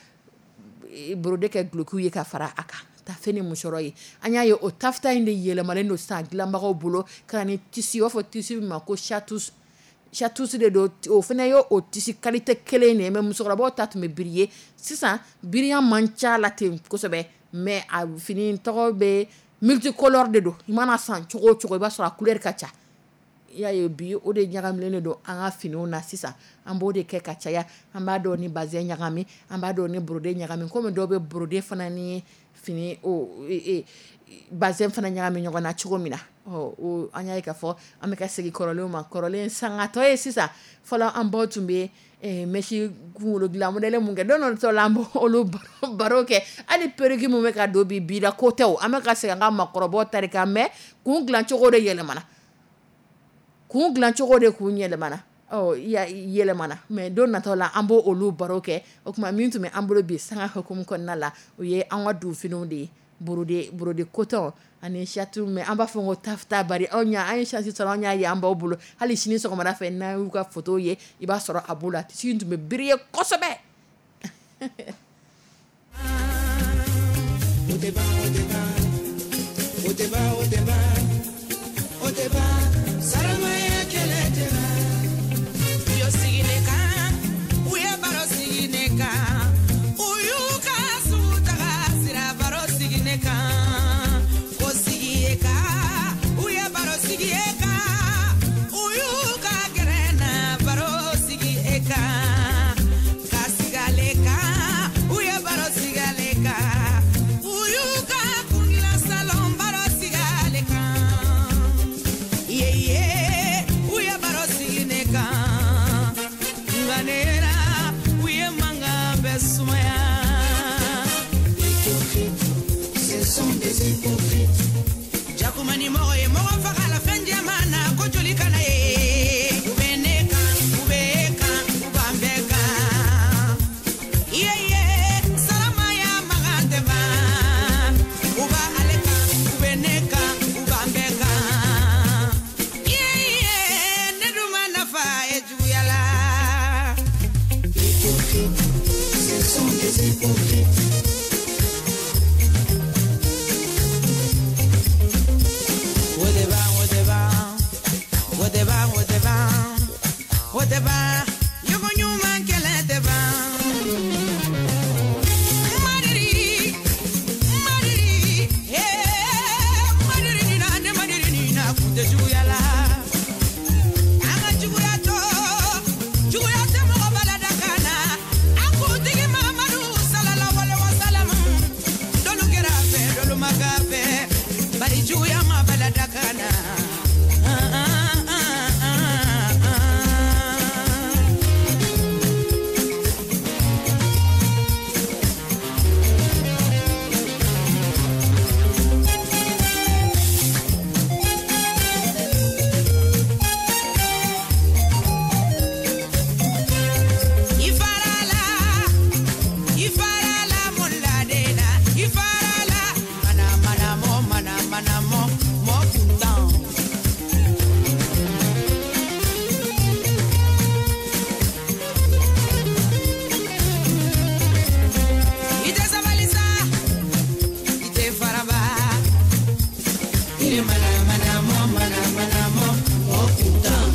[SPEAKER 2] brodé kɛ dulokiw ye ka fara a kan, tafe ni musɔrɔ ye. An y'a ye o tafta in de yɛlɛmalen don sisan dilanbagaw bolo ka na ni tissu, u b'a fɔ tissu min ma ko chatous. Chatous de don, o fana ye o tissu qualité kelen de ye, mais musokɔrɔbaw ta tun bɛ briller. Sisan brillant man ca la ten kosɛbɛ, mais a fini tɔgɔ bɛ multicolore de don. I mana san cogo o cogo, i b'a sɔrɔ a couleur ka ca. I y'a ye bi o de ɲagamilen de don an ka finiw na sisan. An b'o de kɛ ka caya. An b'a dɔn ni bazin ɲagami, an b'a dɔn ni brodé ɲagami, komi dɔw bɛ brodé fana ni fini o bazin fana ɲagami ɲɔgɔn na cogo min na. Ɔ, an y'a ye k'a fɔ an bɛ ka segin kɔrɔlenw ma. Kɔrɔlen sangatɔ ye sisan. Fɔlɔ an baw tun bɛ mèche kunkolo dilan modèle mun kɛ, don dɔ tɔ la an b'olu baro kɛ. Hali perruque mun bɛ ka don bi bi la, ko tɛ o. An bɛ ka segin an ka maakɔrɔbaw ta de kan, mais kun dilan cogo de yɛlɛmana. Kun dilan cogo de kun yɛlɛmana. Ɔ, yɛlɛmana, mais don natɔ la an b'o olu baro kɛ. O tuma min tun bɛ an bolo bi sanga hukumu kɔnɔna la, o ye an ka donfiniw de ye, brodé coton ani château, mais an b'a fɔ ko tafta, bari anw y'a, an ye chance sɔrɔ, an y'a ye an baw bolo. Hali sini sɔgɔmada fɛ, n'an y'u ka photo ye, i b'a sɔrɔ a b'o la. Tissu in tun bɛ briller kosɛbɛ.
[SPEAKER 3] Jakuma ni mɔgɔ ye mɔgɔ faga la fɛn jɛman na ko joli kana ye u bɛ ne kan. Ce sont des hypocrites.
[SPEAKER 6] O tɛ ban, o tɛ ban, o tɛ ban, o tɛ ban, o tɛ ban, ɲɔgɔn ɲuman kɛlɛ tɛ ban. Madiri, madiri, eh, madiri ni na, ne madiri ni na, kun tɛ juguya la. An ka juguya to, juguya tɛ mɔgɔ balada kan na. An kuntigi Mamadu salala wale wa salamu. Dɔlu kɛra a fɛ, dɔlu ma k'a fɛ, bari juguya ma balada kan na. Ah, ah, ah, ah, ah. I farala, i farala mun la den na, i farala mana mana mɔ, mana mana mɔ, mɔ kuntan. I tɛ sabali sa, i tɛ faraba. I ni mana mana mɔ, mana mana mɔ, mɔ kuntan.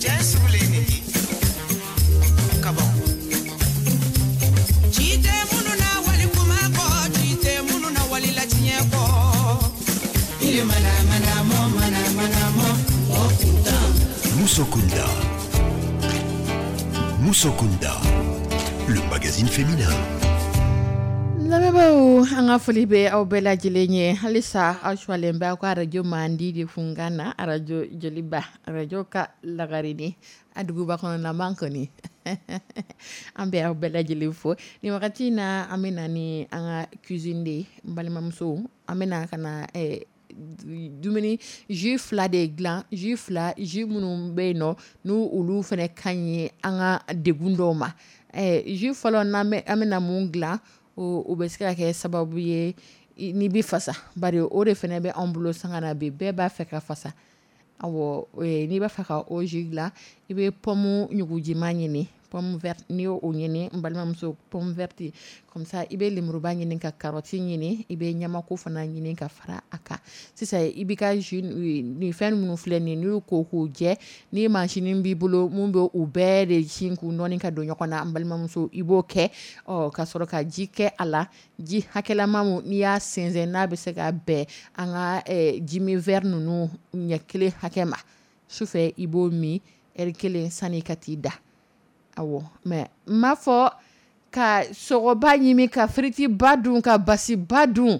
[SPEAKER 7] Cɛ sugulen nin ye kabako.
[SPEAKER 6] Ci tɛ minnu na wali kuma kɔ, ci tɛ minnu na wali latiɲɛ kɔ. I ni mana mana mɔ, mana mana mɔ, mɔ kuntan.
[SPEAKER 1] Moussokunda. Moussokunda, le magazine féminin.
[SPEAKER 2] Lamɛnbaaw, an ka foli bɛ aw bɛɛ lajɛlen ye halisa. Aw suwalen bɛ aw ka arajo mandi de funkan na, Arajo Joliba, arajo ka lagarini a duguba kɔnɔna man kɔni. An bɛ aw bɛɛ lajɛlen fo nin wagati in na. An bɛ na ni an ka cuisine de ye. N balimamuso, an bɛ na ka na dumuni jus fila de dilan, jus fila, jus minnu bɛ yen nɔ n'u olu fana ka ɲi an ka degun dɔw ma. Jus fɔlɔ n'an bɛ, an bɛna mun dilan, o bɛ se ka kɛ sababu ye n'i bɛ fasa, bari o de fana bɛ anw bolo sanga na bi, bɛɛ b'a fɛ ka fasa. Awɔ, n'i b'a fɛ ka o jus dilan, i bɛ pomme ɲugujima ɲini, pomme verte. N'i y'o ɲini, n balimamuso, pomme verte comme ça, i bɛ lemuruba ɲini ka carotte ɲini, i bɛ ɲamako fana ɲini ka fara a kan. Sisan i b'i ka jus nin fɛn minnu filɛ nin ye, n'i y'u ko k'u jɛ, ni machine b'i bolo mun bɛ u bɛɛ de sin k'u nɔɔni ka don ɲɔgɔn na, n balimamuso, i b'o kɛ. Ɔ ka sɔrɔ ka ji kɛ a la, ji hakɛlama mun n'i y'a sɛnsɛn n'a bɛ se ka bɛn an ka jimi verre ninnu ɲɛ kelen hakɛ ma. Sufɛ i b'o min ɛri kelen sani ka t'i da. Awɔ, mais n m'a fɔ ka sogoba ɲimi, ka firiti ba dun, ka basiba dun,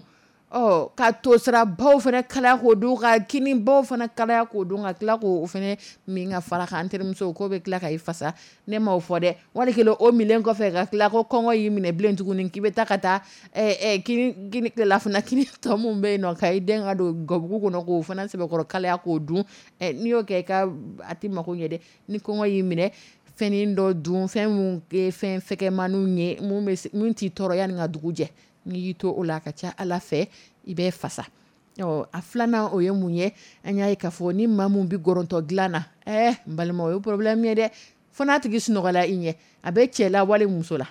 [SPEAKER 2] ɔ ka tosirabaw fana kalaya k'o dun, ka kinibaw fana kalaya k'o dun, ka tila k'o fana min ka fara kan. An terimuso k'o bɛ tila ka i fasa, ne m'o fɔ dɛ. Wali kelen o minlen kɔfɛ ka tila ko kɔngɔ y'i minɛ bilen tuguni, k'i bɛ taa ka taa kini kini tilelafana kini tɔ mun bɛ yen nɔ, ka i den ka don gabugu kɔnɔ k'o fana sɛbɛkɔrɔ kalaya k'o dun. N'i y'o kɛ, i ka a tɛ mako ɲɛ dɛ. Ni kɔngɔ y'i minɛ, fɛnnin dɔ dun, fɛn mun ye fɛn fɛgɛmaninw ye, mun bɛ mun t'i tɔɔrɔ yanni ka dugu jɛ. N'i y'i to o la, a ka ca Ala fɛ i bɛ fasa. Ɔ a filanan o ye mun ye? An y'a ye k'a fɔ ni maa mun bɛ gɔrɔntɔ dilan na, n balima, o ye problème ye dɛ, fo n'a tigi sunɔgɔla i ɲɛ, a bɛ cɛ la wali muso la,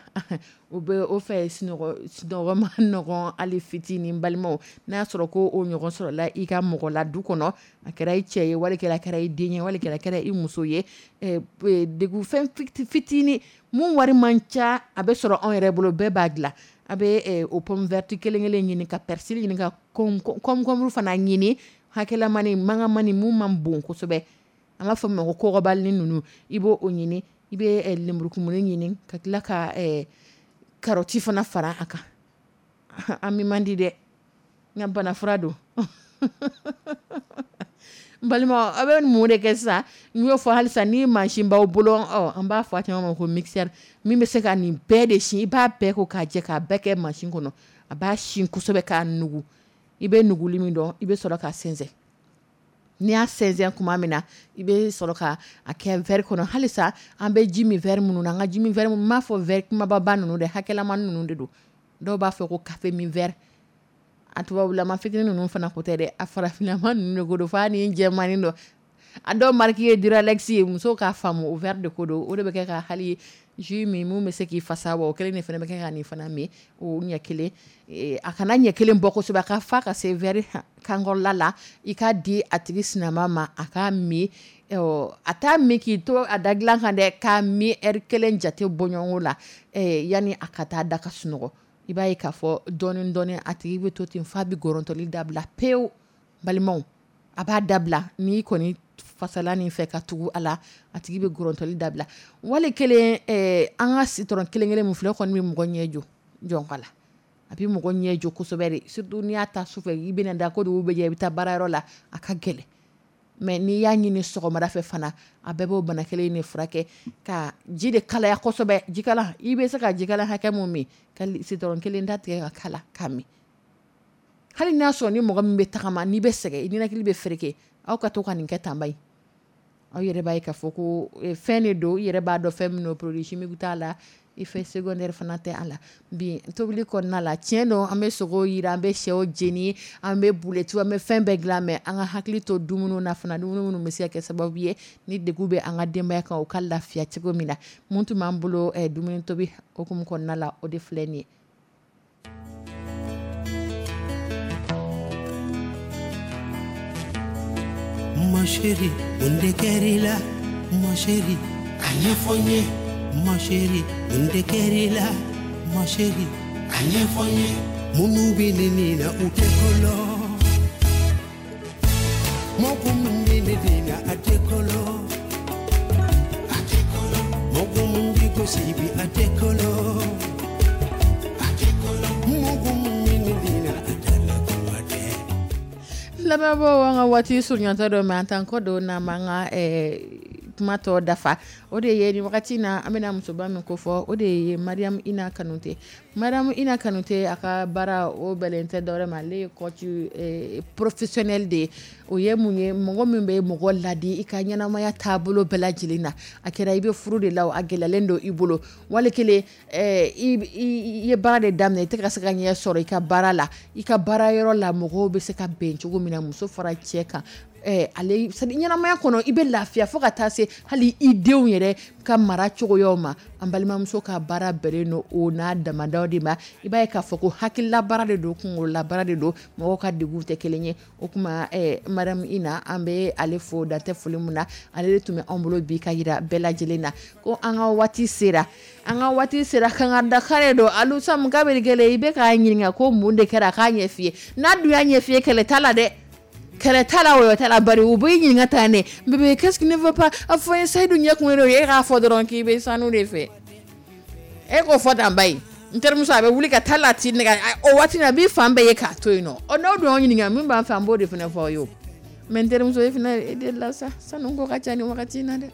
[SPEAKER 2] o bɛ o fɛ sunɔgɔ, sunɔgɔ ma nɔgɔn hali fitinin. Balimaw, n'a y'a sɔrɔ ko o ɲɔgɔn sɔrɔla i ka mɔgɔ la du kɔnɔ, a kɛra i cɛ ye wali kɛra a kɛra i den ye wali kɛra a kɛra i muso ye, degun fɛn fitinin mun wari man ca, a bɛ sɔrɔ anw yɛrɛ bolo, bɛɛ b'a dilan. A bɛ o pomme verte kelen kelen ɲini, ka persil ɲini, ka concombre fana ɲini, hakɛlamani mangamani mun man bon kosɛbɛ, an b'a fɔ min ma ko kɔgɔbalini ninnu, i b'o o ɲini. I bɛ lemurukumuni ɲini ka tila ka carotte fana fara a kan. An mi man di dɛ, n ka bana fura don. N balima, aw bɛ mun de kɛ sisan? N y'o fɔ halisa, ni mansin b'aw bolo, ɔ an b'a fɔ a caman ma ko mixeur, min bɛ se ka nin bɛɛ de sin, i b'a bɛɛ ko k'a jɛ k'a bɛɛ kɛ mansin kɔnɔ, a b'a sin kosɛbɛ k'a nugu. I bɛ nuguli min dɔn, i bɛ sɔrɔ k'a sɛnsɛn. N'i y'a sɛnsɛn tuma min na, i bɛ sɔrɔ ka a kɛ verre kɔnɔ. Halisa an bɛ ji min verre minnu na, an ka ji min verre, n m'a fɔ verre kumababa ninnu dɛ, hakɛlamani ninnu de don. Dɔw b'a fɔ ko café min verre, a tubabulama fitinin ninnu fana ko tɛ dɛ, a farafinlama ninnu de ko don, f'a ni jɛmanin dɔ. A dɔw marque ye Duralex ye. Musow k'a faamu, o verre de ko don. O de bɛ kɛ ka hali jus min, mun bɛ se k'i fasa wa, o kelen de fana bɛ kɛ ka nin fana min. O ɲɛ kelen, a kana ɲɛ kelen bɔ kosɛbɛ, a ka fa ka se verre kankɔrɔla la. I k'a di a tigi sinama ma, a k'a min. A t'a min k'i to a da dilan kan dɛ, k'a min heure kelen jate bɔɲɔgɔnko la, yanni a ka taa da ka sunɔgɔ. I b'a ye k'a fɔ dɔɔni dɔɔni, a tigi bɛ to ten f'a bɛ gɔrɔntɔli dabila pewu. Balimaw, a b'a dabila. N'i kɔni fasala nin fɛ ka tugu a la, a tigi bɛ gɔrɔntɔli dabila. Wali kelen, an ka citron kelen kelen min filɛ, o kɔni bɛ mɔgɔ ɲɛ jɔ jɔnka la. A bɛ mɔgɔ ɲɛ jɔ kosɛbɛ de, surtout n'i y'a ta sufɛ, i bɛna da ko dugu bɛ jɛ, i bɛ taa baarayɔrɔ la, a ka gɛlɛn. Mais n'i y'a ɲini sɔgɔmada fɛ fana, a bɛɛ b'o bana kelen de furakɛ. Ka ji de kalaya kosɛbɛ, jikala, i bɛ se ka jikala hakɛ mun min, ka citron kelen da tigɛ ka kala k'a min. Hali n'a sɔrɔ ni mɔgɔ min bɛ tagama, n'i bɛ sɛgɛn, i ninakili bɛ fereke, aw ka to ka nin kɛ tanba ye. Aw yɛrɛ b'a ye k'a fɔ ko fɛn de don, i yɛrɛ b'a dɔn fɛn min don, produit chimique t'a la, effet secondaire fana tɛ a la. Bi tobili kɔnɔna la, tiɲɛ don, an bɛ sogo yiran, an bɛ sɛw jeni, an bɛ boulettes, an bɛ fɛn bɛɛ dilan, mais an ka hakili to dumuni na fana, dumuni minnu bɛ se ka kɛ sababu ye ni degun bɛ an ka denbaya kan, u ka lafiya cogo min na. Mun tun b'an bolo dumuni tobi hukumu kɔnɔna la, o de filɛ nin ye.
[SPEAKER 4] Ma chérie, mun de kɛr'i la? Ma chérie, a ɲɛfɔ n ye. Ma chérie, mun de kɛr'i la? Ma chérie, a ɲɛfɔ n ye. Minnu bɛ ne nin na, u tɛ kɔlɔ. Mɔgɔ min bɛ ne nin na, a tɛ kɔlɔ. A tɛ kɔlɔ. Mɔgɔ min bɛ gosi bi, a tɛ kɔlɔ. A tɛ kɔlɔ. Mɔgɔ min bɛ ne nin na, a tɛ la kuma tɛ.
[SPEAKER 2] Lamɛnbaaw, an ka waati surunyatɔ don, mais an t'an kɔ don n'an m'an ka kuma tɔ dafa. O de ye nin wagati na, an bɛna musoba min ko fɔ, o de ye Mariam Ina Kanute. Mariam Ina Kanute, a ka baara o bɛlen tɛ dɔwɛrɛ ma, ale ye coach professionnel de ye. O ye mun ye? Mɔgɔ min bɛ mɔgɔ ladi i ka ɲɛnamaya taabolo bɛɛ lajɛlen na. A kɛra i bɛ furu de la, a gɛlɛyalen don i bolo, wali kelen i ye baara de daminɛ, i tɛ ka se ka ɲɛ sɔrɔ i ka baara la, i ka baara yɔrɔ la, mɔgɔw bɛ se ka bɛn cogo min na, muso fara cɛ kan, ale ɲɛnamaya kɔnɔ, i bɛ lafiya fo ka taa se hali i denw yɛrɛ ka mara cogoyaw ma. An balimamuso ka baara bɛnnen don o n'a damadaw de ma. I b'a ye k'a fɔ ko hakilila baara de don, kunkolola baara de don, mɔgɔw ka degun tɛ kelen ye. O tuma Mariam Ina, an bɛ ale fo dantɛ foli min na. Ale de tun bɛ anw bolo bi ka yira bɛɛ lajɛlen na ko an ka waati sera, an ka waati sera. Kan ka dakare don alu samu kabiri kelen, i bɛ k'a ɲininka ko mun de kɛra, a k'a ɲɛ f'i ye. N'a dun y'a ɲɛ f'i ye, kɛlɛ t'a la dɛ, kɛlɛ t'a la, wɔyɔ t'a la. Bari u b'i ɲininka tan ne: bébé, qu'est-ce qui ne va pas? A fɔ n ye. Seyidu ɲɛ kun don, e k'a fɔ dɔrɔn k'i bɛ sanu de fɛ. E k'o fɔ tan ba ye, n terimuso, a bɛ wuli ka taa la ti nɛgɛ o waati na, a b'i fan bɛɛ ye k'a to yen nɔ. Ɔ, n'aw dun y'aw ɲininka min b'an fɛ, an b'o de fana fɔ aw ye. O mais n terimuso, e fana, e delila sa, sanu ko ka ca nin wagati in na dɛ.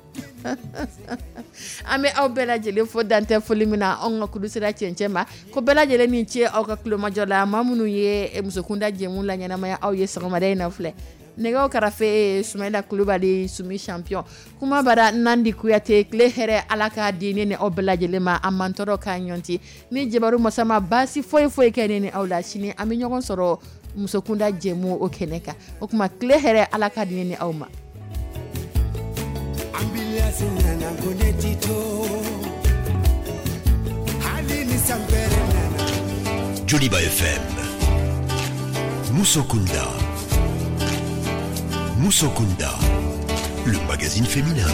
[SPEAKER 2] An bɛ aw bɛɛ lajɛlen fo dantɛ foli min na, anw ka kulu sera cɛncɛn ma. Ko bɛɛ lajɛlen ni ce aw ka kulomajɔ la. Maa minnu ye musokunda jɛmu la ɲɛnamaya aw ye sɔgɔmada in na filɛ, nɛgɛw karafe Sumayila Kulubali, Sumi champion, kuma bara Nandi Kuyate. Tile hɛrɛ, Ala k'a di ne ni aw bɛɛ lajɛlen ma. A man tɔɔrɔ k'a ɲɔnti ni jabaru masa ma baasi foyi foyi kɛ ne ni aw la. Sini an bɛ ɲɔgɔn sɔrɔ musokunda jɛmu o kɛnɛ kan. O tuma tile hɛrɛ, Ala k'a di ne ni aw ma.
[SPEAKER 4] Ambulance nana ko ne ti to hali ni sanpɛrɛ nana.
[SPEAKER 1] Joliba FM. Musokunda. Musokunda. Le magazine féminin.